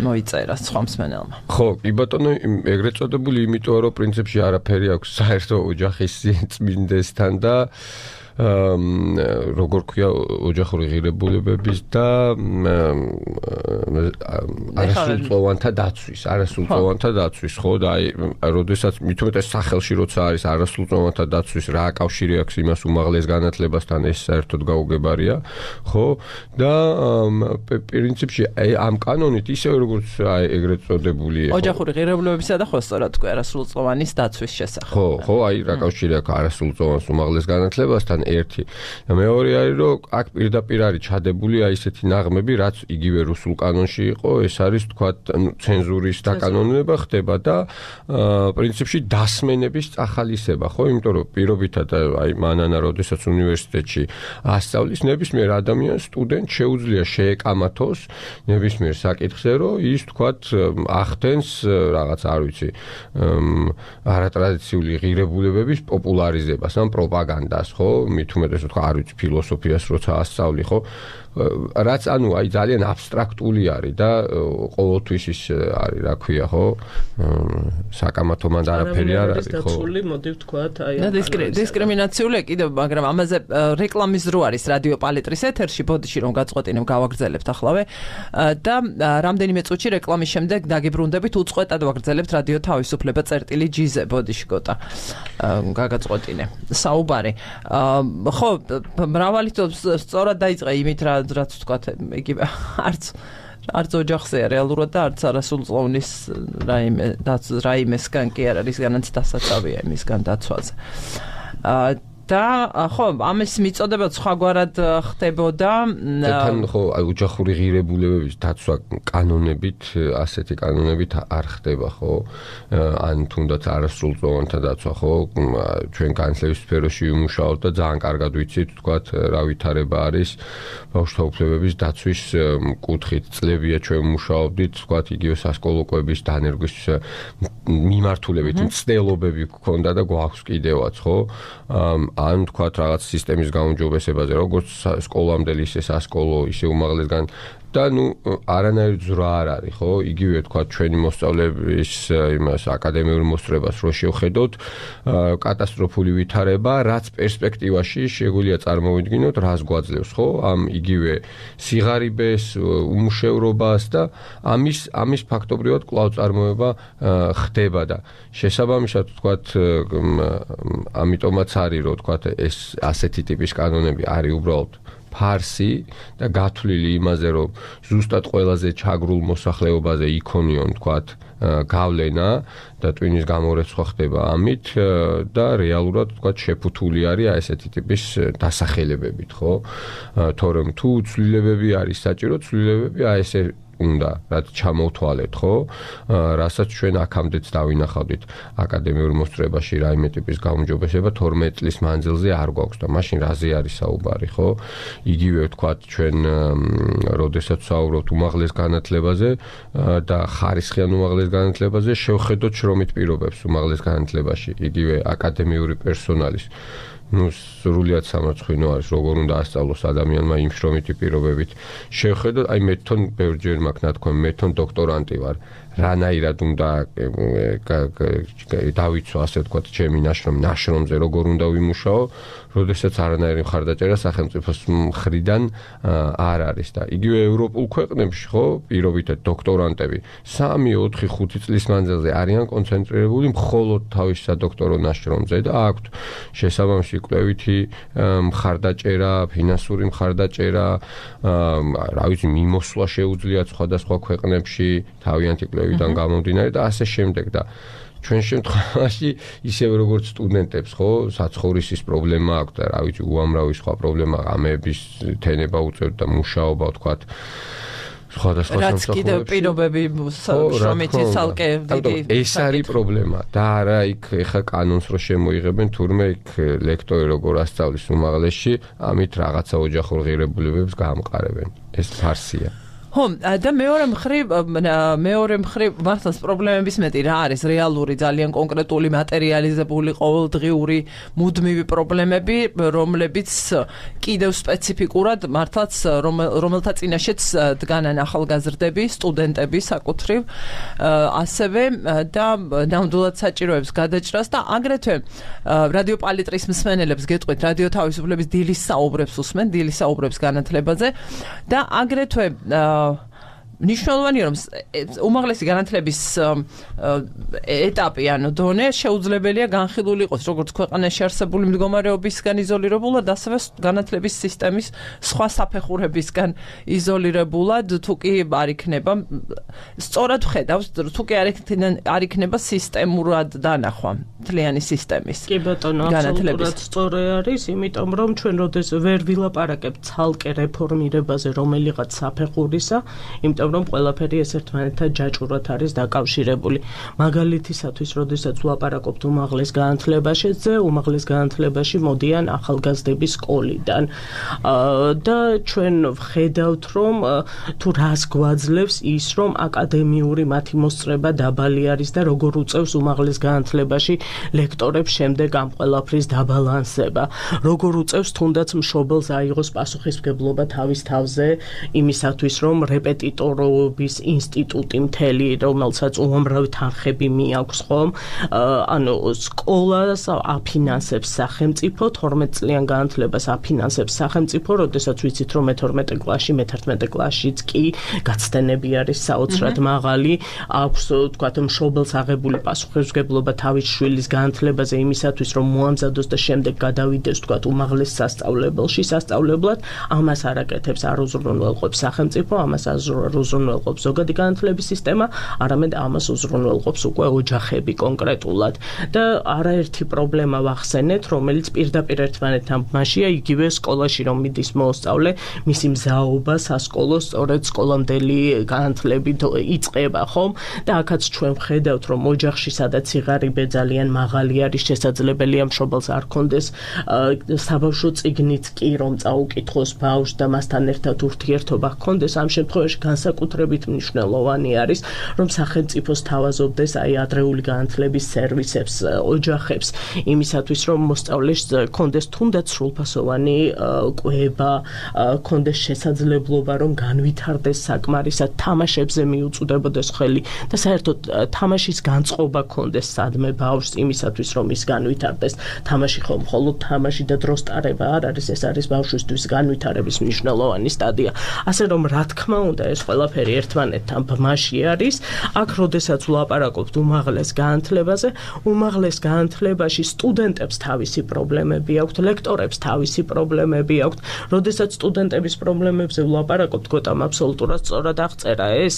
მოიწერა სხვა მსმენელმა. ხო, კი ბატონო, ეგრეთ წოდებული იმიტომ რომ პრინციპში არაფერი აქვს საერთო ოჯახის სიწმინდესთან და როგორ ქვია ოჯახური ღირებულებების და არასრულწლოვანთა დაცვის, არასრულწლოვანთა დაცვის, ხო და აი, როდესაც მithumetes სახელში როცა არის არასრულწლოვანთა დაცვის, რა აკავშირი აქვს იმას უმაღლეს განათლებასთან, ეს საერთოდ გაუგებარია, ხო? და პრინციპში აი ამ კანონით ისე როგორც აი ეგრეთ წოდებული ოჯახური ღირებულებებისა და ხო სწორად თქვი არასრულწლოვანის დაცვის შესახებ. ხო, ხო, აი რა აკავშირი აქვს არასრულწლოვანს უმაღლეს განათლებასთან ერთი და მეორე არის რომ აქ პირდაპირ არის ჩადებული აი ესეთი ნაღმები რაც იგივე რუსულ კანონში იყო ეს არის თქვა ცენზურის დაკანონება ხდება და პრინციპში დასმენების წახალისება ხო იმიტომ რომ პირობითად აი მანანა როდესაც უნივერსიტეტში ასწავლის ნებისმიერ ადამიანს სტუდენტს შეუძლია შეეკამათოს ნებისმიერ საკითხზე რომ ის თქვა ახდენს რაღაც არ ვიცი არატრადიციული ღირებულებების პოპულარიზებას ან პროპაგანდას ხო მithumetes თქვა არ ვიცი ფილოსოფიას როცა ასწავლი ხო რაც ანუ აი ძალიან აბსტრაქტული არის და ყოველთვის ის არის რა ქვია ხო საკამათო მანდ არაფერი არ არის ხო დაცული მოდი ვთქვათ აი და დისკრიმინაციული კიდევ მაგრამ ამაზე რეკლამის დრო არის რადიო პალეტრის ეთერში ბოდიში რომ გაწყვეტინებ გავაგრძელებთ ახლავე და რამდენიმე წუთში რეკლამის შემდეგ დაგიბრუნდებით უწყვეტად ვაგრძელებთ რადიო თავისუფლება წერტილი ჯიზე ბოდიში გოტა გაგაწყვეტინე საუბარი ხო მრავალი სწორად დაიწყე იმით რა რაც ვთქვათ იგივე არც არც ოჯახზე რეალურად და არც არასრულწლოვნის რაიმე რაიმესგან კი არ არის განაც დასაცავია იმისგან დაცვაზე და ხო ამის მიწოდება სხვაგვარად ხდებოდა თან ხო ოჯახური ღირებულებების დაცვა კანონებით ასეთი კანონებით არ ხდება ხო ან თუნდაც არასრულწლოვანთა დაცვა ხო ჩვენ განათლების სფეროში ვიმუშაობთ და ძალიან კარგად ვიცით თქვათ რა ვითარება არის ბავშვთა უფლებების დაცვის კუთხით წლებია ჩვენ ვიმუშაობდით თქვათ იგივე სასკოლო კვების დანერგვის მიმართულებით მცდელობები გქონდა და გვაქვს კიდევაც ხო ან თქვათ რაღაც სისტემის გაუმჯობესებაზე როგორც სკოლამდელი ისე სასკოლო ისე უმაღლესგან და ნუ არანაირი ძვრა არ არის ხო იგივე თქვათ ჩვენი მოსწავლეების იმას აკადემიურ მოსწრებას რო შევხედოთ კატასტროფული ვითარება რაც პერსპექტივაში შეგვიძლია წარმოვიდგინოთ რას გვაძლევს ხო ამ იგივე სიღარიბეს უმუშევრობას და ამის ამის ფაქტობრივად კვლავ წარმოება ხდება და შესაბამისად თქვათ ამიტომაც არის რომ თქვათ ეს ასეთი ტიპის კანონები არის უბრალოდ ფარსი და გათვლილი იმაზე რომ ზუსტად ყველაზე ჩაგრულ მოსახლეობაზე იქონიონ თქვათ გავლენა და ტვინის გამორეცხვა ხდება ამით და რეალურად თქვათ შეფუთული არის ესეთი ტიპის დასახელებებით ხო თორემ თუ ცვლილებები არის საჭირო ცვლილებები აი ესე უნდა რაც ჩამოვთვალეთ ხო რასაც ჩვენ აქამდეც დავინახავდით აკადემიურ მოსწრებაში რაიმე ტიპის გაუმჯობესება თორმეტ წლის მანძილზე არ გვაქვს და მაშინ რაზე არის საუბარი ხო იგივე ვთქვათ ჩვენ როდესაც ვსაუბრობთ უმაღლეს განათლებაზე და ხარისხიან უმაღლეს განათლებაზე შევხედოთ შრომით პირობებს უმაღლეს განათლებაში იგივე აკადემიური პერსონალის ну სრულიად სამარცხვინო არის როგორ უნდა ასწავლოს ადამიანმა იმ შრომითი პირობებით შევხედოთ აი მე თვითონ ბევრჯერ მაქვს ნათქვამი მე თვითონ დოქტორანტი ვარ რანაირად უნდა დავიცვა ასე ვთქვათ ჩემი ნაშრომი ნაშრომზე როგორ უნდა ვიმუშაო როდესაც არანაირი მხარდაჭერა სახელმწიფოს მხრიდან არ არის და იგივე ევროპულ ქვეყნებში ხო პირობითად დოქტორანტები სამი, ოთხი, ხუთი წლის მანძილზე არიან კონცენტრირებული მხოლოდ თავის სადოქტორო ნაშრომზე და აქვთ შესაბამისი კვლევითი მხარდაჭერა, ფინანსური მხარდაჭერა, რა ვიცი, მიმოსვლა შეუძლიათ სხვადასხვა ქვეყნებში თავიანთი კვლევიდან გამომდინარე და ასე შემდეგ და ჩვენ შემთხვევაში ისევ როგორც სტუდენტებს ხო საცხოვრისის პრობლემა აქვს და რა ვიცი უამრავი სხვა პრობლემა ღამეების თენება უწევთ და მუშაობა ვთქვათ სხვადასხვა სამსახურებში რაც კიდევ პირობები შრომითი ცალკე დიდი ეს არის პრობლემა და არა იქ ეხა კანონს რო შემოიღებენ თურმე იქ ლექტორი როგორ ასწავლის უმაღლესში ამით რაღაცა ოჯახურ ღირებულებებს გაამყარებენ ეს ფარსია ხო და მეორე მხრივ მეორე მხრივ მართლაც პრობლემების მეტი რა არის რეალური ძალიან კონკრეტული მატერიალიზებული ყოველდღიური მუდმივი პრობლემები რომლებიც კიდევ სპეციფიკურად მართლაც რომელთა წინაშეც დგანან ახალგაზრდები სტუდენტები საკუთრივ ასევე და ნამდვილად საჭიროებს გადაჭრას და აგრეთვე რადიო პალიტრის მსმენელებს გეტყვით რადიო თავისუფლების დილის საუბრებს უსმენ დილის საუბრებს განათლებაზე და აგრეთვე ნიშნულოვანია რომ უმაღლესი განათლების ეტაპი ანუ დონე შეუძლებელია განხილული იყოს როგორც ქვეყანაში არსებული მდგომარეობისგან იზოლირებულად ასევე განათლების სისტემის სხვა საფეხურებისგან იზოლირებულად თუ კი არ იქნება სწორად ხედავს თუ კი არ იქნება სისტემურად დანახვა მთლიანი სისტემის კი ბატონო აბსოლუტურად სწორი არის იმიტომ რომ ჩვენ როდეს ვერ ვილაპარაკებთ ცალკე რეფორმირებაზე რომელიღაც საფეხურისა იმიტომ რომ ყველაფერი ეს ერთმანეთთან ჯაჭვურად არის დაკავშირებული. მაგალითისათვის, როდესაც ვლაპარაკობთ უმაღლეს განათლებაშიზე, უმაღლეს განათლებაში მოდიან ახალგაზრდების სკოლიდან. და ჩვენ ვხედავთ, რომ თუ რას გვაძლევს ის, რომ აკადემიური მათი მოსწრება დაბალი არის და როგორ უწევს უმაღლეს განათლებაში ლექტორებს შემდეგ ამ ყველაფრის დაბალანსება. როგორ უწევს თუნდაც მშობელს აიღოს პასუხისმგებლობა თავის თავზე იმისათვის, რომ რეპეტიტორობის ინსტიტუტი მთელი, რომელსაც უამრავი თანხები მიაქვს ხომ, ანუ სკოლას აფინანსებს სახელმწიფო, თორმეტ წლიან განათლებას აფინანსებს სახელმწიფო, როდესაც ვიცით, რომ მეთორმეტე კლასში, მეთერთმეტე კლასშიც კი გაცდენები არის საოცრად მაღალი, აქვს თქვათ მშობელს აღებული პასუხისმგებლობა თავის შვილის განათლებაზე იმისათვის, რომ მოამზადოს და შემდეგ გადავიდეს თქვათ უმაღლეს სასწავლებელში, სასწავლებლად, ამას არ აკეთებს, არ უზრუნველყოფს სახელმწიფო, ამას არ უზრუნველყოფს ზოგადი განათლების სისტემა, არამედ ამას უზრუნველყოფს უკვე ოჯახები კონკრეტულად. და არაერთი პრობლემა ვახსენეთ, რომელიც პირდაპირ ერთმანეთთან მასია იგივე სკოლაში რომ მიდის მოსწავლე, მისი მზაობა სასკოლო სწორედ სკოლამდელი განათლებით იწყება, ხომ? და აქაც ჩვენ ვხედავთ, რომ ოჯახში სადაც სიღარიბე ძალიან მაღალი არის, შესაძლებელია მშობელს არ კონდეს საბავშვო წიგნით კი რომ წაუკითხოს ბავშვს და მასთან ერთად ურთიერთობა ჰქონდეს, ამ შემთხვევაში განსაკუთრებით მნიშვნელოვანი არის, რომ სახელმწიფოს თავაზობდეს აი ადრეული განათლების სერვისებს, ოჯახებს, იმისათვის, რომ მოსწავლეს ჰქონდეს თუნდაც სრულფასოვანი კვება, ჰქონდეს შესაძლებლობა, რომ განვითარდეს საკმარისად, თამაშებზე მიუწვდებოდეს ხელი და საერთოდ თამაშის განწყობა ჰქონდეს სადმე ბავშვს იმისათვის, რომ ის განვითარდეს. თამაში ხომ მხოლოდ თამაში და დროს ტარება არ არის, ეს არის ბავშვისთვის განვითარების მნიშვნელოვანი სტადია. ასე რომ რა თქმა უნდა ეს ყველაფერი ერთმანეთთან ბმაში არის. აქ როდესაც ვლაპარაკობთ უმაღლეს განათლებაზე, უმაღლეს განათლებაში სტუდენტებს თავისი პრობლემები აქვთ, ლექტორებს თავისი პრობლემები აქვთ. როდესაც სტუდენტების პრობლემებზე ვლაპარაკობთ, გოტამ აბსოლუტურად სწორად აღწერა ეს.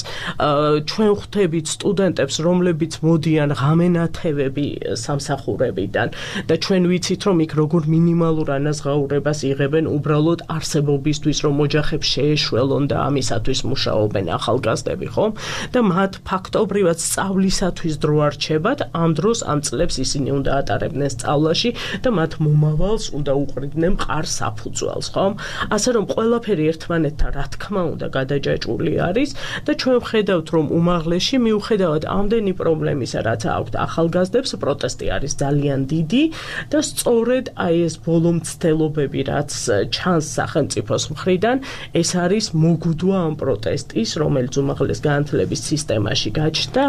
ჩვენ ხვდებით სტუდენტებს, რომლებიც მოდიან ღამენათევები სამსახურებიდან და ჩვენ ვიცით, რომ იქ როგორ მინიმალურ ანაზღაურებას იღებენ უბრალოდ არსებობისთვის, რომ ოჯახებს შეეშველონ და ამისათვის მუშაობენ ახალგაზრდები, ხომ? და მათ ფაქტობრივად სწავლისათვის დრო არ რჩებათ, ამ დროს ამ წლებს ისინი უნდა ატარებდნენ სწავლაში და მათ მომავალს უნდა უყრიდნენ მყარ საფუძველს, ხომ? ასე რომ ყველაფერი ერთმანეთთან რა თქმა უნდა გადაჯაჭვული არის და ჩვენ ვხედავთ, რომ უმაღლესში მიუხედავად ამდენი პრობლემისა, რაც აქვთ ახალგაზრდებს, პროტესტი არის ძალიან დიდი და სწორედ აი ეს ბოლო მცდელობები, რაც ჩანს სახელმწიფოს მხრიდან, ეს არის მოგუდვა ამ პროტესტის, რომელიც უმაღლეს განათლების სისტემაში გაჩნდა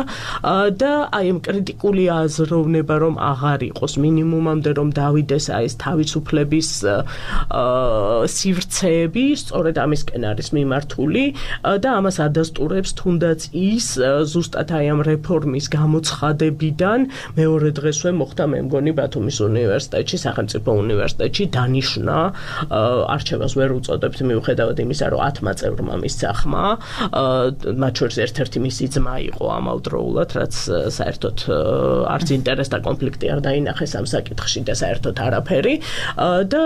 და აი ამ კრიტიკული აზროვნება, რომ აღარ იყოს მინიმუმამდე რომ დავიდეს აი ეს თავისუფლების სივრცეები, სწორედ ამისკენ არის მიმართული და ამას ადასტურებს თუნდაც ის ზუსტად აი ამ რეფორმის გამოცხადებიდან მეორე დღესვე მოხდა მე მგონი ბათუმის უნივერსიტეტში, სახელმწიფო უნივერსიტეტში დანიშნა, არჩევას ვერ უწოდებთ მიუხედავად იმისა, რომ ათმა წევრმა მისცა ხმა მათ შორის ერთ-ერთი მისი ძმა იყო ამავდროულად, რაც საერთოდ არც ინტერესთა კონფლიქტი არ დაინახეს ამ საკითხში და საერთოდ არაფერი და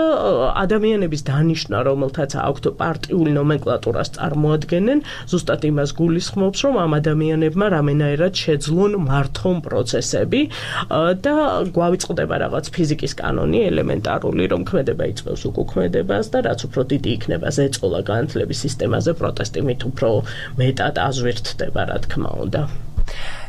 ადამიანების დანიშვნა, რომელთაც აქვთ პარტიული ნომენკლატურას წარმოადგენენ, ზუსტად იმას გულისხმობს, რომ ამ ადამიანებმა რამენაერად შეძლონ მართონ პროცესები და გვავიწყდება რაღაც ფიზიკის კანონი ელემენტარული, რომ ქმედება იწვევს უკუქმედებას და რაც უფრო დიდი იქნება ზეწოლა განათლების სისტემაზე, პროტესტი მით უფრო მეტად აზვირთდება, რა თქმა უნდა.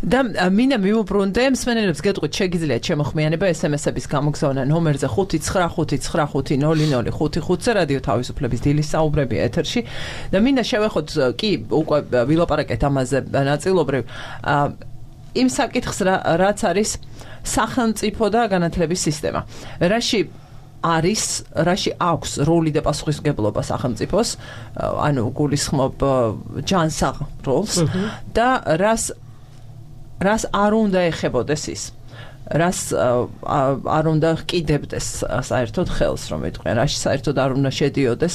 და მინდა მივუბრუნდე მსმენელებს გეტყვით შეგიძლიათ შემოხმიანება ესემესების გამოგზავნა ნომერზე ხუთი ცხრა ხუთი ცხრა ხუთი ნული ნული ხუთი ხუთზე რადიო თავისუფლების დილის საუბრები ეთერში და მინდა შევეხოთ კი უკვე ვილაპარაკეთ ამაზე ნაწილობრივ იმ საკითხს რაც არის სახელმწიფო და განათლების სისტემა რაში არის რაში აქვს როლი და პასუხისმგებლობა სახელმწიფოს ანუ გულისხმობ ჯანსაღ როლს და რას რას არ უნდა ეხებოდეს ის რას არ უნდა ყიდებდეს საერთოდ ხელს რომ იტყვიან რაში საერთოდ არ უნდა შედიოდეს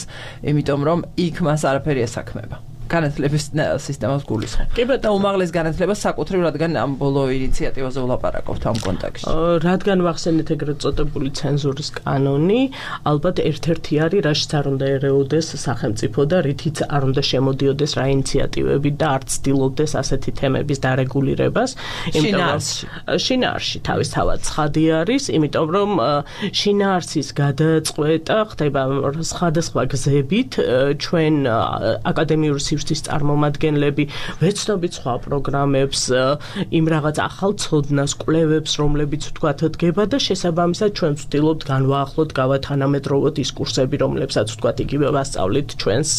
იმიტომ რომ იქ მას არაფერი ესაქმება განათლების სისტემას გულისხმობ და უმაღლეს განათლებას საკუთრივ რადგან ამ ბოლო ინიციატივაზე ვლაპარაკობთ ამ კონტექსტში. რადგან ვახსენეთ ეგრეთ წოდებული ცენზურის კანონი, ალბათ ერთ-ერთი არის რაშიც არ უნდა ერეოდეს სახელმწიფო და რითიც არ უნდა შემოდიოდეს რა ინიციატივები და არ ცდილობდეს ასეთი თემების დარეგულირებას. შინაარსში. შინაარსში თავისთავად ცხადი არის, იმიტომ რომ შინაარსის გადაწყვეტა ხდება სხვადასხვა გზებით ჩვენ აკადემიური სივრცის წარმომადგენლები ვეცნობით სხვა პროგრამებს, იმ რაღაც ახალ ცოდნას, კვლევებს, რომლებიც თქვათ დგება და შესაბამისად ჩვენ ვცდილობთ განვაახლოთ, გავათანამედროვოთ ის კურსები, რომლებსაც თქვათ იგივე ვასწავლით ჩვენს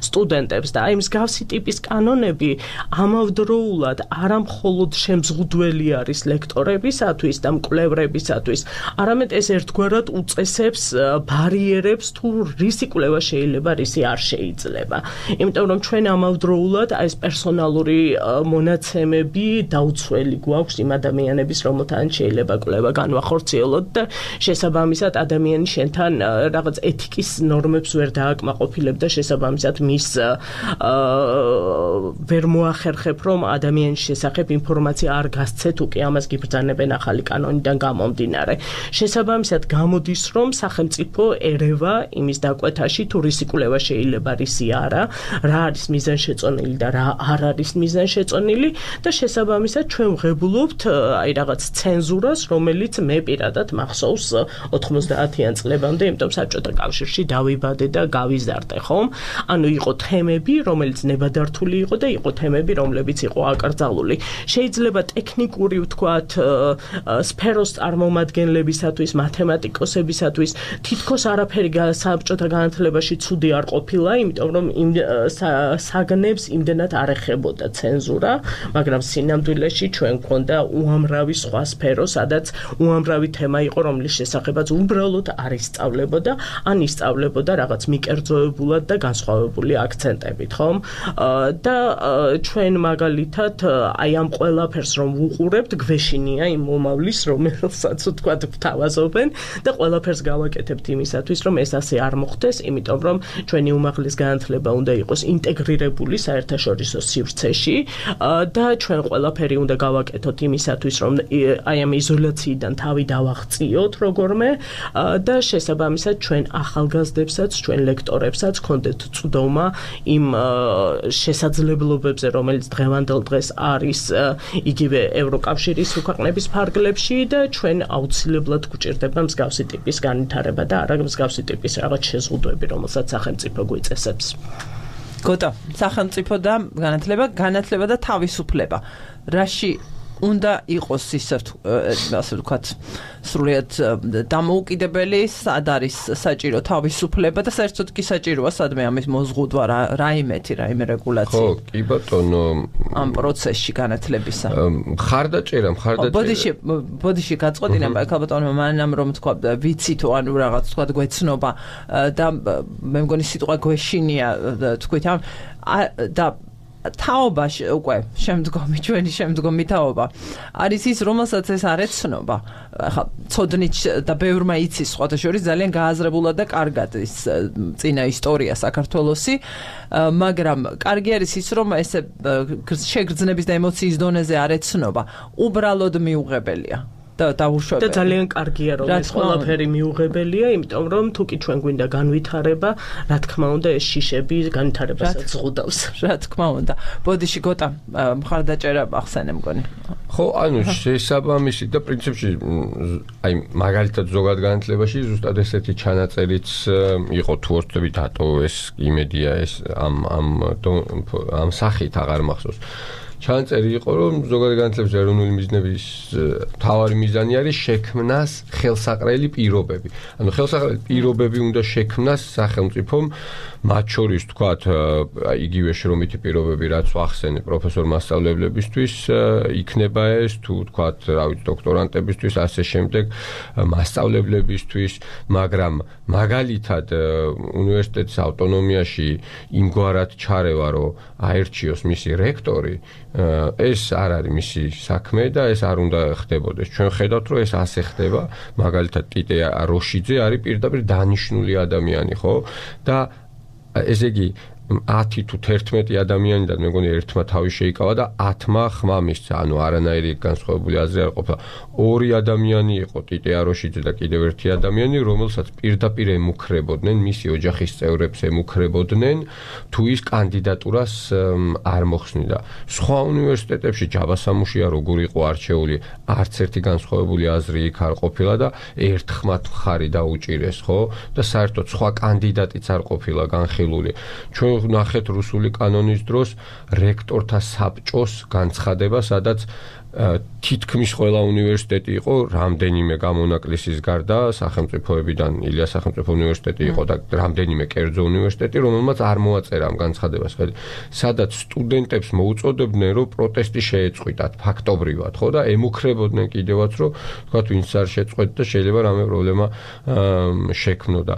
სტუდენტებს და აი მსგავსი ტიპის კანონები ამავდროულად არა მხოლოდ შემზღუდველი არის ლექტორებისათვის და მკვლევრებისათვის, არამედ ეს ერთგვარად უწესებს ბარიერებს თუ რისი კვლევა შეიძლება, რისი არ შეიძლება. იმიტომ რომ ჩვენ ამავდროულად ეს პერსონალური მონაცემები დაუცველი გვაქვს იმ ადამიანების, რომელთან შეიძლება კვლევა განვახორციელოთ და შესაბამისად ადამიანი შენთან რაღაც ეთიკის ნორმებს ვერ დააკმაყოფილებ და შესაბამისად მის ვერ მოახერხებ, რომ ადამიანის შესახებ ინფორმაცია არ გასცეთ, უკვე ამას გიბრძანებენ ახალი კანონიდან გამომდინარე. შესაბამისად გამოდის, რომ სახელმწიფო ერევა იმის დაკვეთაში, თუ რისი კვლევა შეიძლება, რისი არა, რა არის მიზანშეწონილი და რა არ არის მიზანშეწონილი და შესაბამისად ჩვენ ვღებულობთ აი რაღაც ცენზურას, რომელიც მე პირადად მახსოვს ოთხმოცდაათიან წლებამდე, იმიტომ საბჭოთა კავშირში დავიბადე და გავიზარდე, ხომ? ანუ იყო თემები, რომელიც ნებადართული იყო და იყო თემები, რომლებიც იყო აკრძალული. შეიძლება ტექნიკური ვთქვათ სფეროს წარმომადგენლებისათვის, მათემატიკოსებისათვის თითქოს არაფერი საბჭოთა განათლებაში ცუდი არ ყოფილა, იმიტომ რომ იმ საგნებს იმდენად არ ეხებოდა ცენზურა, მაგრამ სინამდვილეში ჩვენ გვქონდა უამრავი სხვა სფერო, სადაც უამრავი თემა იყო, რომლის შესახებაც უბრალოდ არ ისწავლებოდა, ან ისწავლებოდა რაღაც მიკერძოებულად და განსხვავებული აქცენტებით, ხომ? და ჩვენ მაგალითად აი ამ ყველაფერს რომ ვუყურებთ, გვეშინია იმ მომავლის, რომელსაც ვთქვათ ვთავაზობენ და ყველაფერს გავაკეთებთ იმისათვის, რომ ეს ასე არ მოხდეს, იმიტომ რომ ჩვენი უმაღლეს განათლება უნდა იყოს ინტეგრირებული საერთაშორისო სივრცეში და ჩვენ ყველაფერი უნდა გავაკეთოთ იმისათვის, რომ აი ამ იზოლაციიდან თავი დავაღწიოთ როგორმე და შესაბამისად ჩვენ ახალგაზრდებსაც, ჩვენ ლექტორებსაც გქონდეთ წვდომა იმ შესაძლებლობებზე, რომელიც დღევანდელ დღეს არის იგივე ევროკავშირის ქვეყნების ფარგლებში და ჩვენ აუცილებლად გვჭირდება მსგავსი ტიპის განვითარება და არა მსგავსი ტიპის რაღაც შეზღუდვები, რომელსაც სახელმწიფო გვიწესებს. გოტა, სახელმწიფო და განათლება, განათლება და თავისუფლება. რაში უნდა იყოს ისე ასე ვთქვათ, სრულიად დამოუკიდებელი, სად არის საჭირო თავისუფლება და საერთოდ კი საჭიროა სადმე ამის მოზღუდვა რაიმეთი, რაიმე რეგულაცია. ხო, კი ბატონო, ამ პროცესში განათლებისა. მხარდაჭერა, მხარდაჭერა. ბოდიში, ბოდიში გაწყვეტინა, ეხლა ბატონო, მანამ რომ თქვა ვიცი თუ ანუ რაღაც თქვა გვეცნობა და მე მგონი სიტყვა გვეშინია თქვით ამ და თაობაში უკვე შემდგომი ჩვენი შემდგომი თაობა არის ის რომელსაც ეს არ ეცნობა ახლა ცოდნით და ბევრმა იცის სხვათა შორის ძალიან გააზრებულად და კარგად ის წინა ისტორია საქართველოსი მაგრამ კარგი არის ის რომ ესე შეგრძნების და ემოციის დონეზე არ ეცნობა უბრალოდ მიუღებელია და დაუშვებელი. და ძალიან კარგია რომ ეს ყველაფერი მიუღებელია, იმიტომ რომ თუკი ჩვენ გვინდა განვითარება, რა თქმა უნდა ეს შიშები განვითარებასაც ზღუდავს. რა თქმა უნდა. ბოდიში გოტა მხარდაჭერა ახსენე მგონი. ხო, ანუ შესაბამისი და პრინციპში აი მაგალითად ზოგად განათლებაში ზუსტად ესეთი ჩანაწერიც იყო თუ ორთვები დატო ეს იმედია ეს ამ ამ ამ სახით აღარ მახსოვს. ჩანაწერი იყო რომ ზოგადი განათლების ეროვნული მიზნების მთავარი მიზანი არის შექმნას ხელსაყრელი პირობები. ანუ ხელსაყრელი პირობები უნდა შექმნას სახელმწიფომ მათ შორის თქვათ იგივე შრომითი პირობები რაც ვახსენე პროფესორ მასწავლებლებისთვის იქნება ეს თუ თქვათ რა ვიცი დოქტორანტებისთვის ასე შემდეგ მასწავლებლებისთვის მაგრამ მაგალითად უნივერსიტეტის ავტონომიაში იმგვარად ჩარევა რომ აერჩიოს მისი რექტორი ეს არ არის მისი საქმე და ეს არ უნდა ხდებოდეს. ჩვენ ხედავთ რომ ეს ასე ხდება, მაგალითად ტიტე როშიძე არის პირდაპირ დანიშნული ადამიანი, ხო? და ესე იგი ათი თუ თერთმეტი ადამიანიდან მე მგონი ერთმა თავი შეიკავა და ათმა ხმა მისცა, ანუ არანაირი განსხვავებული აზრი არ ყოფილა. ორი ადამიანი იყო ტიტე აროშიძე და კიდევ ერთი ადამიანი, რომელსაც პირდაპირ ემუქრებოდნენ, მისი ოჯახის წევრებს ემუქრებოდნენ, თუ ის კანდიდატურას არ მოხსნიდა. სხვა უნივერსიტეტებში ჯაბასამუშია როგორ იყო არჩეული, არც ერთი განსხვავებული აზრი იქ არ ყოფილა და ერთ ხმად მხარი დაუჭირეს, ხო? და საერთოდ სხვა კანდიდატიც არ ყოფილა განხილული. ჩვენ ნახეთ რუსული კანონის დროს რექტორთა საბჭოს განცხადება, სადაც თითქმის ყველა უნივერსიტეტი იყო რამდენიმე გამონაკლისის გარდა სახელმწიფოებიდან ილია სახელმწიფო უნივერსიტეტი იყო და რამდენიმე კერძო უნივერსიტეტი რომელმაც არ მოაწერა ამ განცხადებას ხელი სადაც სტუდენტებს მოუწოდებდნენ რომ პროტესტი შეეწყვიტათ ფაქტობრივად ხო და ემუქრებოდნენ კიდევაც რომ თქვათ ვინც არ შეწყვეტ და შეიძლება რამე პრობლემა შექმნოდა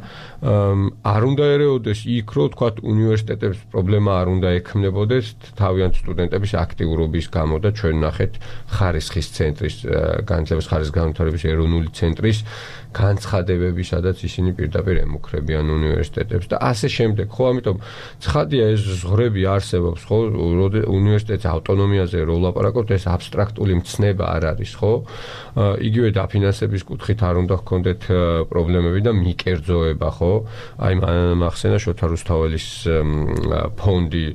არ უნდა ერეოდეს იქ რომ თქვათ უნივერსიტეტებს პრობლემა არ უნდა ექმნებოდეს თავიანთ სტუდენტების აქტიურობის გამო და ჩვენ ნახეთ ხარისხის ცენტრის განათლების ხარისხის განვითარების ეროვნული ცენტრის განცხადებები, სადაც ისინი პირდაპირ ემუქრებიან უნივერსიტეტებს და ასე შემდეგ. ხო, ამიტომ ცხადია ეს ზღვრები არსებობს, ხო, უნივერსიტეტის ავტონომიაზე რო ვლაპარაკობთ, ეს აბსტრაქტული მცნება არ არის, ხო? იგივე დაფინანსების კუთხით არ უნდა ჰქონდეთ პრობლემები და მიკერძოება, ხო? აი მახსენა შოთა რუსთაველის ფონდი,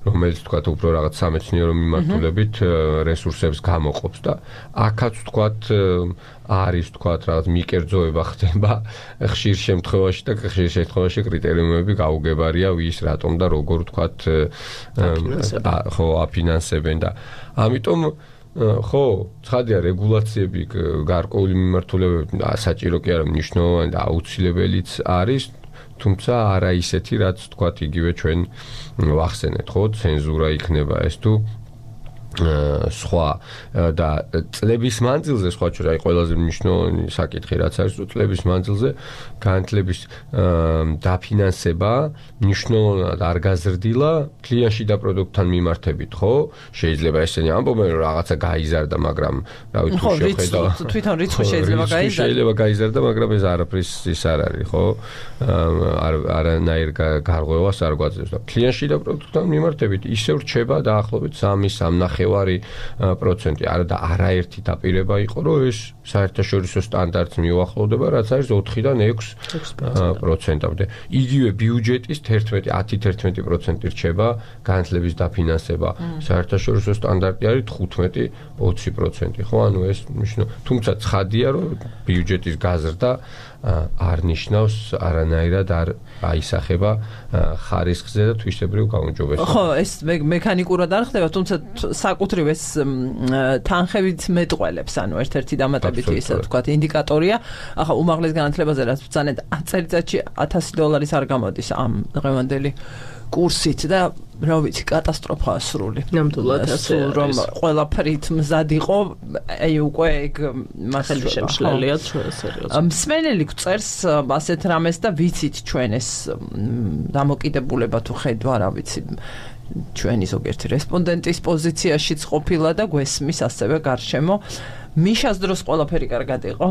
რომელიც თქვათ უფრო რაღაც სამეცნიერო მიმართულებით რესურსებს გამოყოფს და აქაც თქვათ არის თქვათ რაღაც მიკერძოება ხდება ხშირ შემთხვევაში და ხშირ შემთხვევაში კრიტერიუმები გაუგებარია ვის რატომ და როგორ თქვათ ხო აფინანსებენ და ამიტომ ხო ცხადია რეგულაციები გარკვეული მიმართულებები საჭირო კი არა მნიშვნელოვანი და აუცილებელიც არის თუმცა არა ისეთი რაც თქვათ იგივე ჩვენ ვახსენეთ ხო ცენზურა იქნება ეს თუ სხვა და წლების მანძილზე სხვა ჩვენ აი ყველაზე მნიშვნელოვანი საკითხი რაც არის თუ წლების მანძილზე განათლების დაფინანსება მნიშვნელოვნად არ გაზრდილა კლიანტში და პროდუქტთან მიმართებით ხო შეიძლება ესენი ამბობენ რომ რაღაცა გაიზარდა მაგრამ რა ვიცი თუ შეხედა თვითონ რიცხვი შეიძლება გაიზარდა შეიძლება გაიზარდა მაგრამ ეს არაფრის ის არ არის ხო არ არანაირ გარღვევას არ გვაძლევს და კლიანტში და პროდუქტთან მიმართებით ისევ რჩება დაახლოებით სამი სამნახევარი პროცენტი არა და არაერთი დაპირება იყო რომ ეს საერთაშორისო სტანდარტს მიუახლოვდება რაც არის ოთხიდან ექვს პროცენტამდე იგივე ბიუჯეტის თერთმეტი ათი თერთმეტი პროცენტი რჩება განათლების დაფინანსება საერთაშორისო სტანდარტი არის თხუთმეტი ოცი პროცენტი ხო ანუ ეს თუმცა ცხადია რომ ბიუჯეტის გაზრდა არ ნიშნავს არანაირად არ აისახება ხარისხზე და თვისებრივ გაუმჯობესებას. ხო, ეს მექანიკურად არ ხდება, თუმცა საკუთრივ ეს თანხებით მეტყველებს, ანუ ერთ-ერთი დამატებითი ისე ვთქვათ, ინდიკატორია. ახლა უმაღლეს განათლებაზე რაც ბრძანეთ წელიწადში ათასი დოლარის არ გამოდის ამ დღევანდელი კურსით და რა ვიცი კატასტროფაა სრული. ნამდვილად ასე რომ ყველაფრით მზად იყო, აი უკვე ეგ მასალა შემშლელია ჩვენ სერიოზულად. მსმენელი გწერს ასეთ რამეს და ვიცით ჩვენ ეს დამოკიდებულება თუ ხედვა რა ვიცი ჩვენი ზოგიერთი რესპონდენტის პოზიციაშიც ყოფილა და გვესმის ასევე გარშემო. მიშას დროს ყველაფერი კარგად იყო?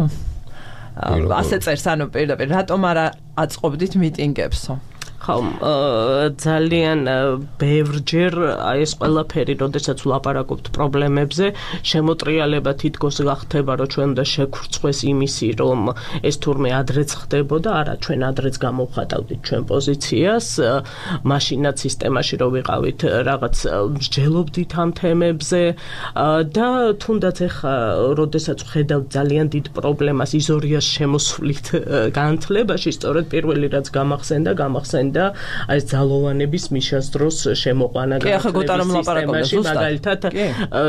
ასე წერს, ანუ პირდაპირ რატომ არ აწყობდით მიტინგებსო? ხო, ძალიან ბევრჯერ აი ეს ყველაფერი, როდესაც ვლაპარაკობთ პრობლემებზე, შემოტრიალება თითქოს გახდება, რომ ჩვენ უნდა შევქრცხვეს იმისი, რომ ეს თურმე ადრეც ხდებოდა, არა, ჩვენ ადრეც გამოვხატავდით ჩვენ პოზიციას, მაშინაც სისტემაში რო ვიყავით, რაღაც მსჯელობდით ამ თემებზე და თუნდაც ეხა, როდესაც ვხედავთ ძალიან დიდ პრობლემას იზორიას შემოსვლით განათლებაში, სწორედ პირველი რაც გამახსენდა, გამახსენდა და აი ძალოვანების მიშას დროს შემოყვანა განათლების სისტემაში, მაგალითად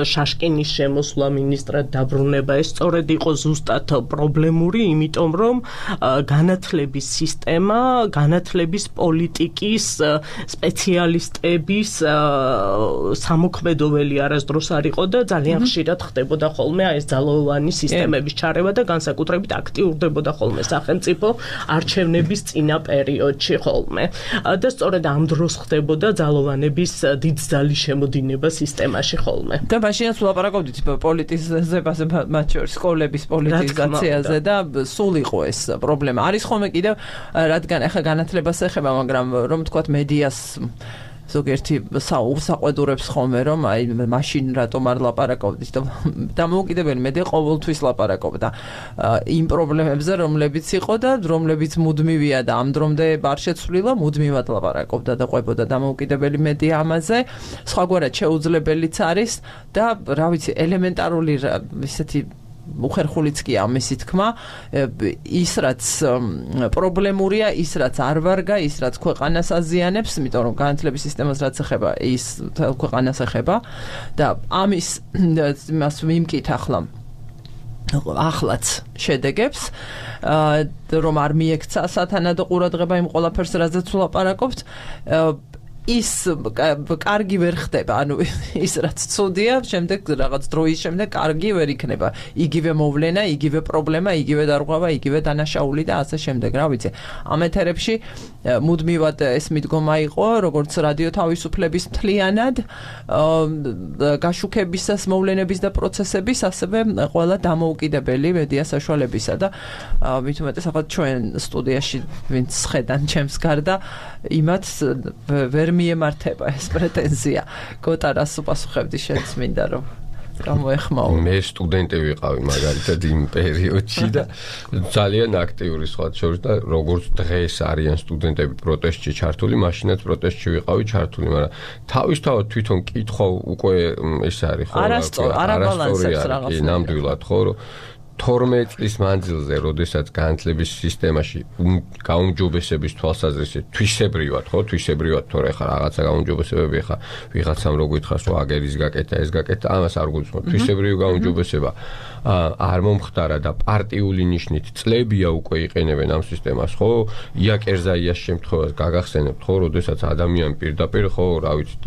შაშკინის შემოსვლა მინისტრად დაბრუნება, ეს სწორედ იყო ზუსტად პრობლემური, იმიტომ რომ განათლების სისტემა, განათლების პოლიტიკის სპეციალისტების სამოქმედოველი არასდროს არ იყო და ძალიან ხშირად ხდებოდა ხოლმე აი ეს ძალოვანი სისტემების ჩარევა და განსაკუთრებით აქტიურდებოდა ხოლმე სახელმწიფო არჩევნების წინა პერიოდში ხოლმე. და სწორედ ამ დროს ხდებოდა ძალოვანების დიდძალი შემოდინება სისტემაში ხოლმე. და მაშინაც ვლაპარაკობდით პოლიტიზებაზე, მათ შორის სკოლების პოლიტიზაციაზე და სულ იყო ეს პრობლემა. არის ხოლმე კიდევ, რადგან ახლა განათლებას ეხება, მაგრამ რომ თქვათ მედიას ზოგიერთი საყვედურებს ხოლმე, რომ აი მაშინ რატომ არ ლაპარაკობდით და დამოუკიდებელი მედია ყოველთვის ლაპარაკობდა იმ პრობლემებზე, რომლებიც იყო და რომლებიც მუდმივია და ამ დრომდე არ შეცვლილა, მუდმივად ლაპარაკობდა და ყვებოდა დამოუკიდებელი მედია ამაზე. სხვაგვარად შეუძლებელიც არის და რა ვიცი, ელემენტარული ისეთი უხერხულიც კი ამისი თქმა, ის რაც პრობლემურია, ის რაც არ ვარგა, ის რაც ქვეყანას აზიანებს, იმიტომ რომ განათლების სისტემას რაც ეხება, ის ქვეყანას ეხება და ამის იმას მიმკით ახლა ახლაც შედეგებს, რომ არ მიექცა სათანადო ყურადღება იმ ყველაფერს, რაზეც ვლაპარაკობთ, ის კარგი ვერ ხდება, ანუ ის რაც ცუდია, შემდეგ რაღაც დროის შემდეგ კარგი ვერ იქნება. იგივე მოვლენა, იგივე პრობლემა, იგივე დარღვევა, იგივე დანაშაული და ასე შემდეგ, რა ვიცი. ამ ეთერებში მუდმივად ეს მიდგომა იყო, როგორც რადიო თავისუფლების მთლიანად გაშუქებისას მოვლენების და პროცესების, ასევე ყველა დამოუკიდებელი მედია საშუალებისა და მით უმეტეს ახლა ჩვენ სტუდიაში ვინც ხედან ჩემს გარდა, იმათ ვერ მიემართება ეს პრეტენზია. გოტარას უპასუხებდი, შენც მინდა რომ გამოეხმაო. მე სტუდენტი ვიყავი მაგალითად იმ პერიოდში და ძალიან აქტიური სხვა შორის და როგორც დღეს არიან სტუდენტები პროტესტში ჩართული, მაშინაც პროტესტში ვიყავი ჩართული, მაგრამ თავისთავად თვითონ კითხვა უკვე ეს არის ხო? არასწორი, არაბალანსებს რაღაცა. ნამდვილად ხო, რომ თორმეტ წლის მანძილზე, როდესაც განათლების სისტემაში გაუმჯობესების თვალსაზრისით თვისებრივად, ხო, თვისებრივად თორე ხა რაღაცა გაუმჯობესებები ხა ვიღაცამ რო გითხარს, რომ აგერის გაკეთა, ეს გაკეთა, ამას არ გულისხმობ. თვისებრივი გაუმჯობესება არ მომხდარა და პარტიული ნიშნით წლებია უკვე იყენებენ ამ სისტემას, ხო? იაკერზაიას შემთხვევას გაგახსენებთ, ხო, როდესაც ადამიანი პირდაპირ, ხო, რა ვიცი,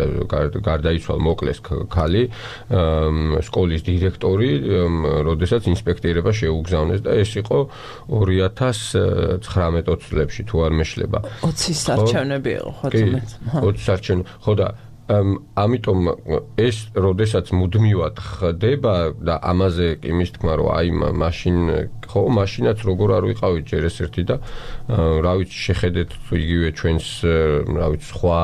გარდაიცვალა, მოკლეს ქალი, სკოლის დირექტორი, როდესაც ინსპექტორი შეუგზავნეს და ეს იყო ორი ათას ცხრამეტ წლებში თუ არ მეშლება. ოცის არჩევნები იყო ხო თუმცა. ოცის არჩევნები. ხო და ამიტომ ეს როდესაც მუდმივად ხდება და ამაზე კი მის თქმა რომ აი მაშინ ხო მაშინაც როგორ არ ვიყავით ჯერ ეს ერთი და რა ვიცი შეხედეთ იგივე ჩვენს რა ვიცი სხვა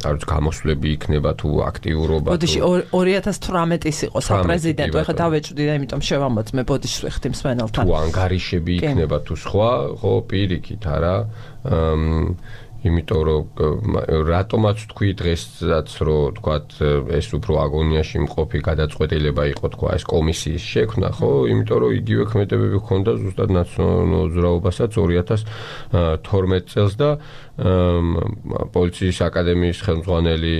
რა ვიცი გამოსვლები იქნება თუ აქტიურობა თუ ბოდიში ორი ათას თვრამეტის იყო საპრეზიდენტო ეხლა დავეჭვდი და იმიტომ შევამოწმე ბოდიშს ვეხთი მსმენელთან თუ ანგარიშები იქნება თუ სხვა ხო პირიქით არა იმიტომ რომ რატომაც თქვი დღესაც რომ თქვათ ეს უფრო აგონიაში მყოფი გადაწყვეტილება იყო თქვა ეს კომისიის შექმნა ხო იმიტომ რომ იგივე ქმედებები ჰქონდა ზუსტად ნაციონალურ მოძრაობასაც ორი ათას თორმეტ წელს და პოლიციის აკადემიის ხელმძღვანელი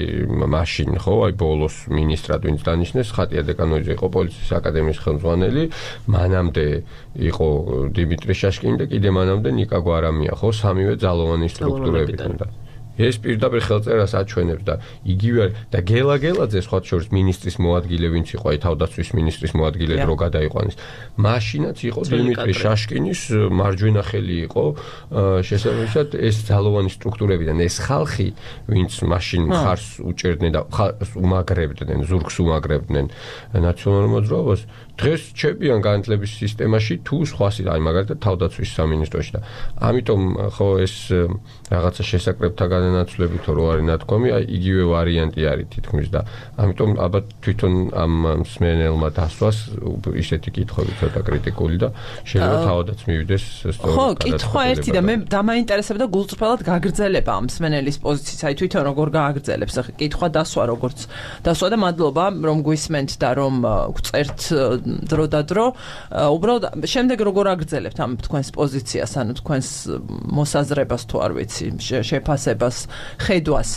მაშინ ხო აი ბოლოს მინისტრად ვინც დანიშნეს ხატია დეკანოიძე იყო პოლიციის აკადემიის ხელმძღვანელი მანამდე იყო დიმიტრი შაშკინი და კიდე მანამდე ნიკა გვარამია ხო სამივე ძალოვანი სტრუქტურები და ეს პირდაპირ ხელწერას აჩვენებს და იგივე არის და გელა გელაძე სხვა შორის მინისტრის მოადგილე ვინც იყო აი თავდაცვის მინისტრის მოადგილე დრო გადაიყვანეს მაშინაც იყო დიმიტრი შაშკინის მარჯვენა ხელი იყო შესაბამისად ეს ძალოვანი სტრუქტურებიდან ეს ხალხი ვინც მაშინ ხარს უჭერდნენ და უმაგრებდნენ ზურგს უმაგრებდნენ ნაციონალურ მოძრაობას დღეს ჩებიან განათლების სისტემაში თუ სხვა აი მაგალითად თავდაცვის სამინისტროში და ამიტომ ხო ეს რაღაცა შესაკრებთა განანაცვლები თუ რო არის ნათქვამი აი იგივე ვარიანტი არის თითქმის და ამიტომ ალბათ თვითონ ამ მსმენელმა დასვას ისეთი კითხვები ცოტა კრიტიკული და შეიძლება თავადაც მივიდეს სწორად ხო კითხვა ერთი და მე დამაინტერესებდა გულწრფელად გაგრძელება ამ მსმენელის პოზიციის აი თვითონ როგორ გააგრძელებს ახლა კითხვა დასვა როგორც დასვა და მადლობა რომ გვისმენთ და რომ გწერთ დრო და დრო უბრალოდ შემდეგ როგორ აგრძელებთ ამ თქვენს პოზიციას ანუ თქვენს მოსაზრებას თუ არ ვიცი შეფასებას ხედვას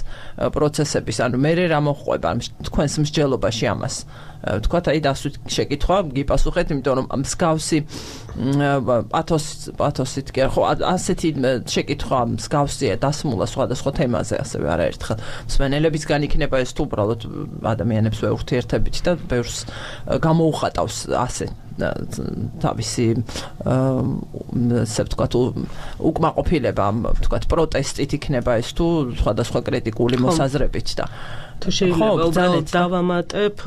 პროცესების ანუ მე რა მოხვება თქვენს მსჯელობაში ამას თქვათ აი დასვით შეკითხვა გიპასუხეთ იმიტომ რომ მსგავსი პათოს პათოსით კი ხო ასეთი შეკითხვა მსგავსია დასმულა სხვადასხვა თემაზე ასევე არაერთხელ მსმენელებისგან იქნება ეს თუ უბრალოდ ადამიანებს ვეურთიერთებით და ბევრს გამოუხატავს ასე თავისი ასე ვთქვათ უკმაყოფილება ვთქვათ პროტესტით იქნება ეს თუ სხვადასხვა კრიტიკული მოსაზრებით და თუ შეიძლება უბრალოდ დავამატებ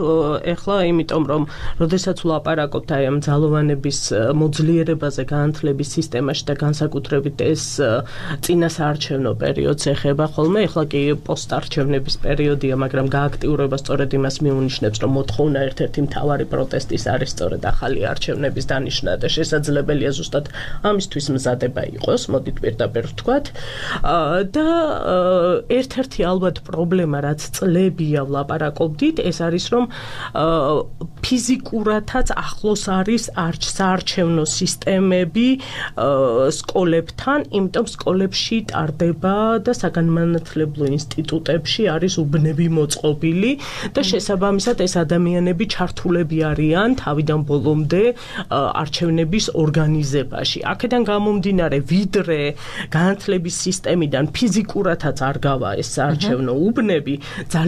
ეხლა იმიტომ რომ როდესაც ვლაპარაკობთ აი ამ ძალოვანების მოძლიერებაზე განათლების სისტემაში და განსაკუთრებით ეს წინასაარჩევნო პერიოდს ეხება ხოლმე ეხლა კი პოსტარჩევნების პერიოდია მაგრამ გააქტიურება სწორედ იმას მიუნიშნებს რომ მოთხოვნა ერთ-ერთი მთავარი პროტესტის არის სწორედ ახალი არჩევნების დანიშნა და შესაძლებელია ზუსტად ამისთვის მზადება იყოს მოდით პირდაპირ ვთქვათ და ერთ-ერთი ალბათ პრობლემა რაც ლებია ვლაპარაკობდით ეს არის რომ ფიზიკურათაც ახლოს არის საარჩევნო სისტემები სკოლებთან იმიტომ სკოლებში ტარდება და საგანმანათლებლო ინსტიტუტებში არის უბნები მოწყობილი და შესაბამისად ეს ადამიანები ჩართულები არიან თავიდან ბოლომდე არჩევნების ორგანიზებაში აქედან გამომდინარე ვიდრე განათლების სისტემიდან ფიზიკურათაც არ გავა ეს საარჩევნო უბნები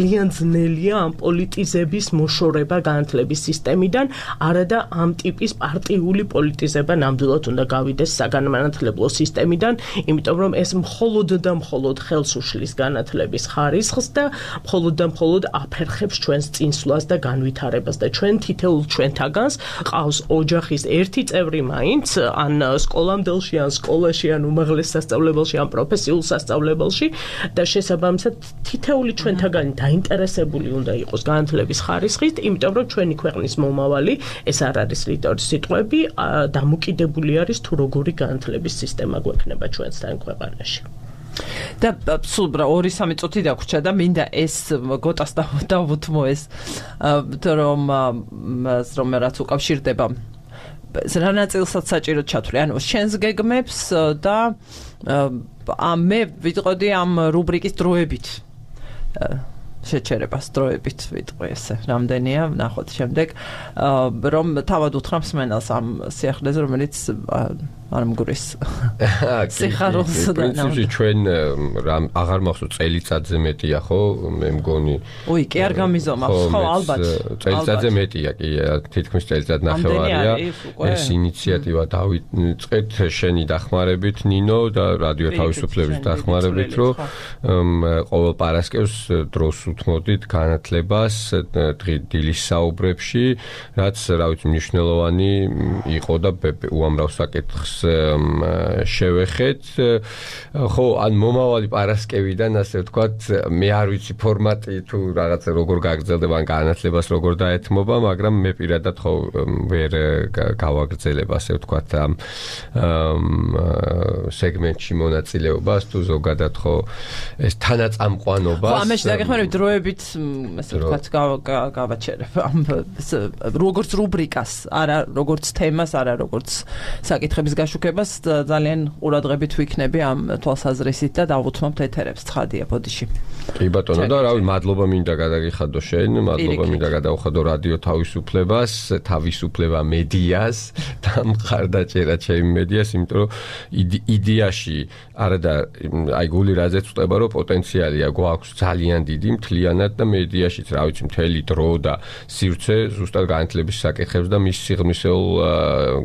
ძალიან ძნელია ამ პოლიტიზების მოშორება განათლების სისტემიდან, არადა ამ ტიპის პარტიული პოლიტიზება ნამდვილად უნდა გავიდეს საგანმანათლებლო სისტემიდან, იმიტომ რომ ეს მხოლოდ და მხოლოდ ხელს უშლის განათლების ხარისხს და მხოლოდ და მხოლოდ აფერხებს ჩვენს წინსვლას და განვითარებას და ჩვენ თითოეულ ჩვენთაგანს ყავს ოჯახის ერთი წევრი მაინც ან სკოლამდელში ან სკოლაში ან უმაღლეს სასწავლებელში ან პროფესიულ სასწავლებელში და შესაბამისად თითოეული ჩვენთაგანი დაინტერესებული უნდა იყოს განათლების ხარისხით, იმიტომ რომ ჩვენი ქვეყნის მომავალი, ეს არ არის რიტორის სიტყვები, დამოკიდებული არის თუ როგორი განათლების სისტემა გვექნება ჩვენსთან ქვეყანაში. და სულ ორი სამი წუთი დაგვრჩა და მინდა ეს გოტას დავუთმო ეს რომ რომ რაც უკავშირდება რა ნაწილსაც საჭიროდ ჩათვლი, ანუ შენს გეგმებს და მე ვიტყოდი ამ რუბრიკის დროებით შეჩერებას დროებით ვიტყვი ესე რამდენია ნახოთ შემდეგ რომ თავად უთხრამს მენელს ამ სიახლეზე რომელიც არ მგურის სიხარულს და პრინციპში ჩვენ რამ აღარ მახსოვს წელიწადზე მეტია ხო მე მგონი უი კი არ გამიზომავს ხო ალბათ წელიწადზე მეტია კი თითქმის წელიწად ნახევარია ეს ინიციატივა დავიწყეთ შენი დახმარებით ნინო და რადიო თავისუფლების დახმარებით რომ ყოველ პარასკევს დროს უთმოდით განათლებას დილის საუბრებში რაც რა ვიცი მნიშვნელოვანი იყო და უამრავ საკითხს შევეხეთ ხო ან მომავალი პარასკევიდან ასე ვთქვათ მე არ ვიცი ფორმატი თუ რაღაცა როგორ გაგრძელდება ან განათლებას როგორ დაეთმობა მაგრამ მე პირადად ხო ვერ გავაგრძელებ ასე ვთქვათ ამ სეგმენტში მონაწილეობას თუ ზოგადად ხო ეს თანაწამყვანობას ხო ამაში დაგეხმარებით დროებით ასე ვთქვათ გავაჩერებ ამ როგორც რუბრიკას არა როგორც თემას არა როგორც საკითხების შუქებას ძალიან ყურადღებით ვიქნები ამ თვალსაზრისით და დავუთმობთ ეთერებს ცხადია ბოდიში. კი ბატონო და რავი მადლობა მინდა გადაგიხადო შენ, მადლობა მინდა გადავხადო რადიო თავისუფლებას, თავისუფლება მედიას და სამყარდაჭერა ჩემი მედიას, იმიტომ რომ იდეაში არა და აი გული რაზეც ვწდება, რომ პოტენციალია გვაქვს ძალიან დიდი მთლიანად და მედიაშიც, რა ვიცი, მთელი დრო და სივრცე ზუსტად განათლების საკითხებს და მის სიღრმისეულ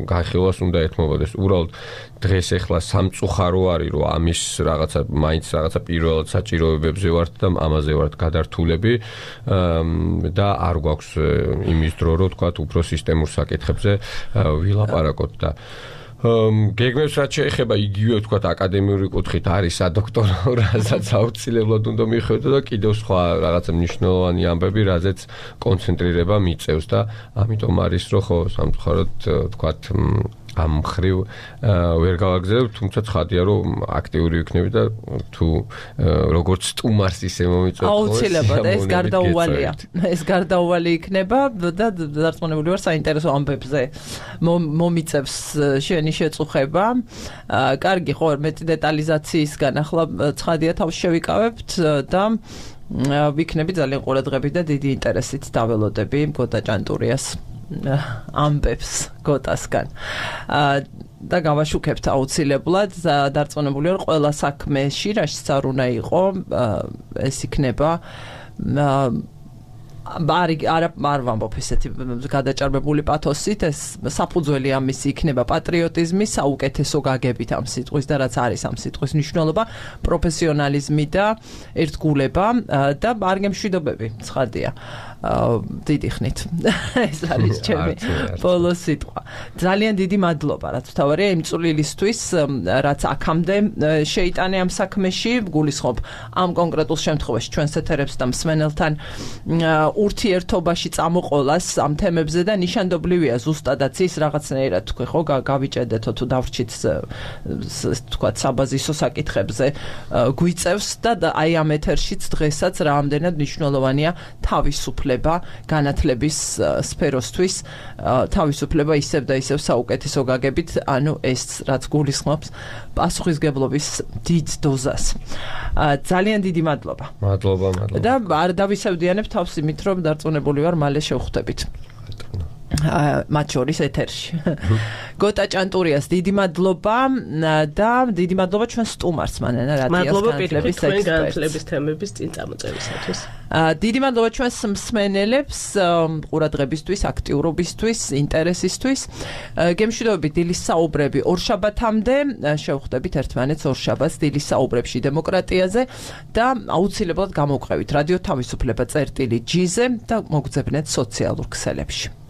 განხილვას უნდა ეთმობოდეს. უბრალოდ დღეს ახლა სამწუხარო არის, რომ ამის რაღაცა მაინც რაღაცა პირველად საჭიროებებზე ვართ და ამაზე ვართ გადართულები და არ გვაქვს იმის დრო, რომ თქვათ უფრო სისტემურ საკითხებზე ვილაპარაკოთ და გეგმებს რაც შეეხება იგივე თქვათ აკადემიური კუთხით არის სადოქტორო, რასაც აუცილებლად უნდა მიხვედრო და კიდევ სხვა რაღაცა მნიშვნელოვანი ამბები, რაზეც კონცენტრირება მიწევს და ამიტომ არის რომ ხო სამწუხაროდ თქვათ ამ ხრივ ვერ გავაგზავნებ, თუმცა ცხადია რომ აქტიური ვიქნები და თუ როგორც სტუმარს ისე მომიწევთ ხო აუცილებლად ეს გარდაუვალია. ეს გარდაუვალი იქნება და დარწმუნებული ვარ საინტერესო ამბებზე მომიწევს შენი შეწუხება. კარგი, ხო, მეტი დეტალიზაციისგან ახლა ცხადია თავს შევიკავებთ და ვიქნები ძალიან ყურადღებით და დიდი ინტერესით დაველოდები გოტა ჭანტურიას ამბებს გოტასგან. და გავაშუქებთ აუცილებლად დარწმუნებული ვარ ყველა საქმეში რაშიც არ უნდა იყო ეს იქნება ბარი არა არ ვამბობ ესეთი გადაჭარბებული პათოსით ეს საფუძველი ამის იქნება პატრიოტიზმი საუკეთესო გაგებით ამ სიტყვის და რაც არის ამ სიტყვის მნიშვნელობა პროფესიონალიზმი და ერთგულება და არ გემშვიდობები ცხადია დიდი ხნით ეს არის ჩემი ბოლო სიტყვა ძალიან დიდი მადლობა რაც თავარია იმ წვლილისთვის რაც აქამდე შეიტანე ამ საქმეში გულისხმობ ამ კონკრეტულ შემთხვევაში ჩვენს ეთერებს და მსმენელთან ურთიერთობაში წამოყოლას ამ თემებზე და ნიშანდობლივია ზუსტადაც ის რაღაცნაირად თქვი ხო გავიჭედეთო თუ დავრჩით თქვა საბაზისო საკითხებზე გვიწევს და აი ამ ეთერშიც დღესაც რამდენად მნიშვნელოვანია თავისუფლება განათლების სფეროსთვის თავისუფლება ისევ და ისევ საუკეთესო გაგებით ანუ ეს რაც გულისხმობს პასუხისგებლობის დიდ დოზას ძალიან დიდი მადლობა მადლობა მადლობა და არ დავისევდიანებ თავს იმით რომ დარწმუნებული ვარ მალე შევხვდებით მათ შორის ეთერში გოტა ჭანტურიას დიდი მადლობა და დიდი მადლობა ჩვენ სტუმარს მანენა რადიოს განათლების ექსპერტს განათლების თემების წინ წამოწევისათვის დიდი მადლობა ჩვენს მსმენელებს ყურადღებისთვის აქტიურობისთვის ინტერესისთვის გემშვიდობებით დილის საუბრები ორშაბათამდე შევხვდებით ერთმანეთს ორშაბათს დილის საუბრებში დემოკრატიაზე და აუცილებლად გამოვყევით რადიო თავისუფლება წერტილი ჯიზე და მოგძებნეთ სოციალურ ქსელებში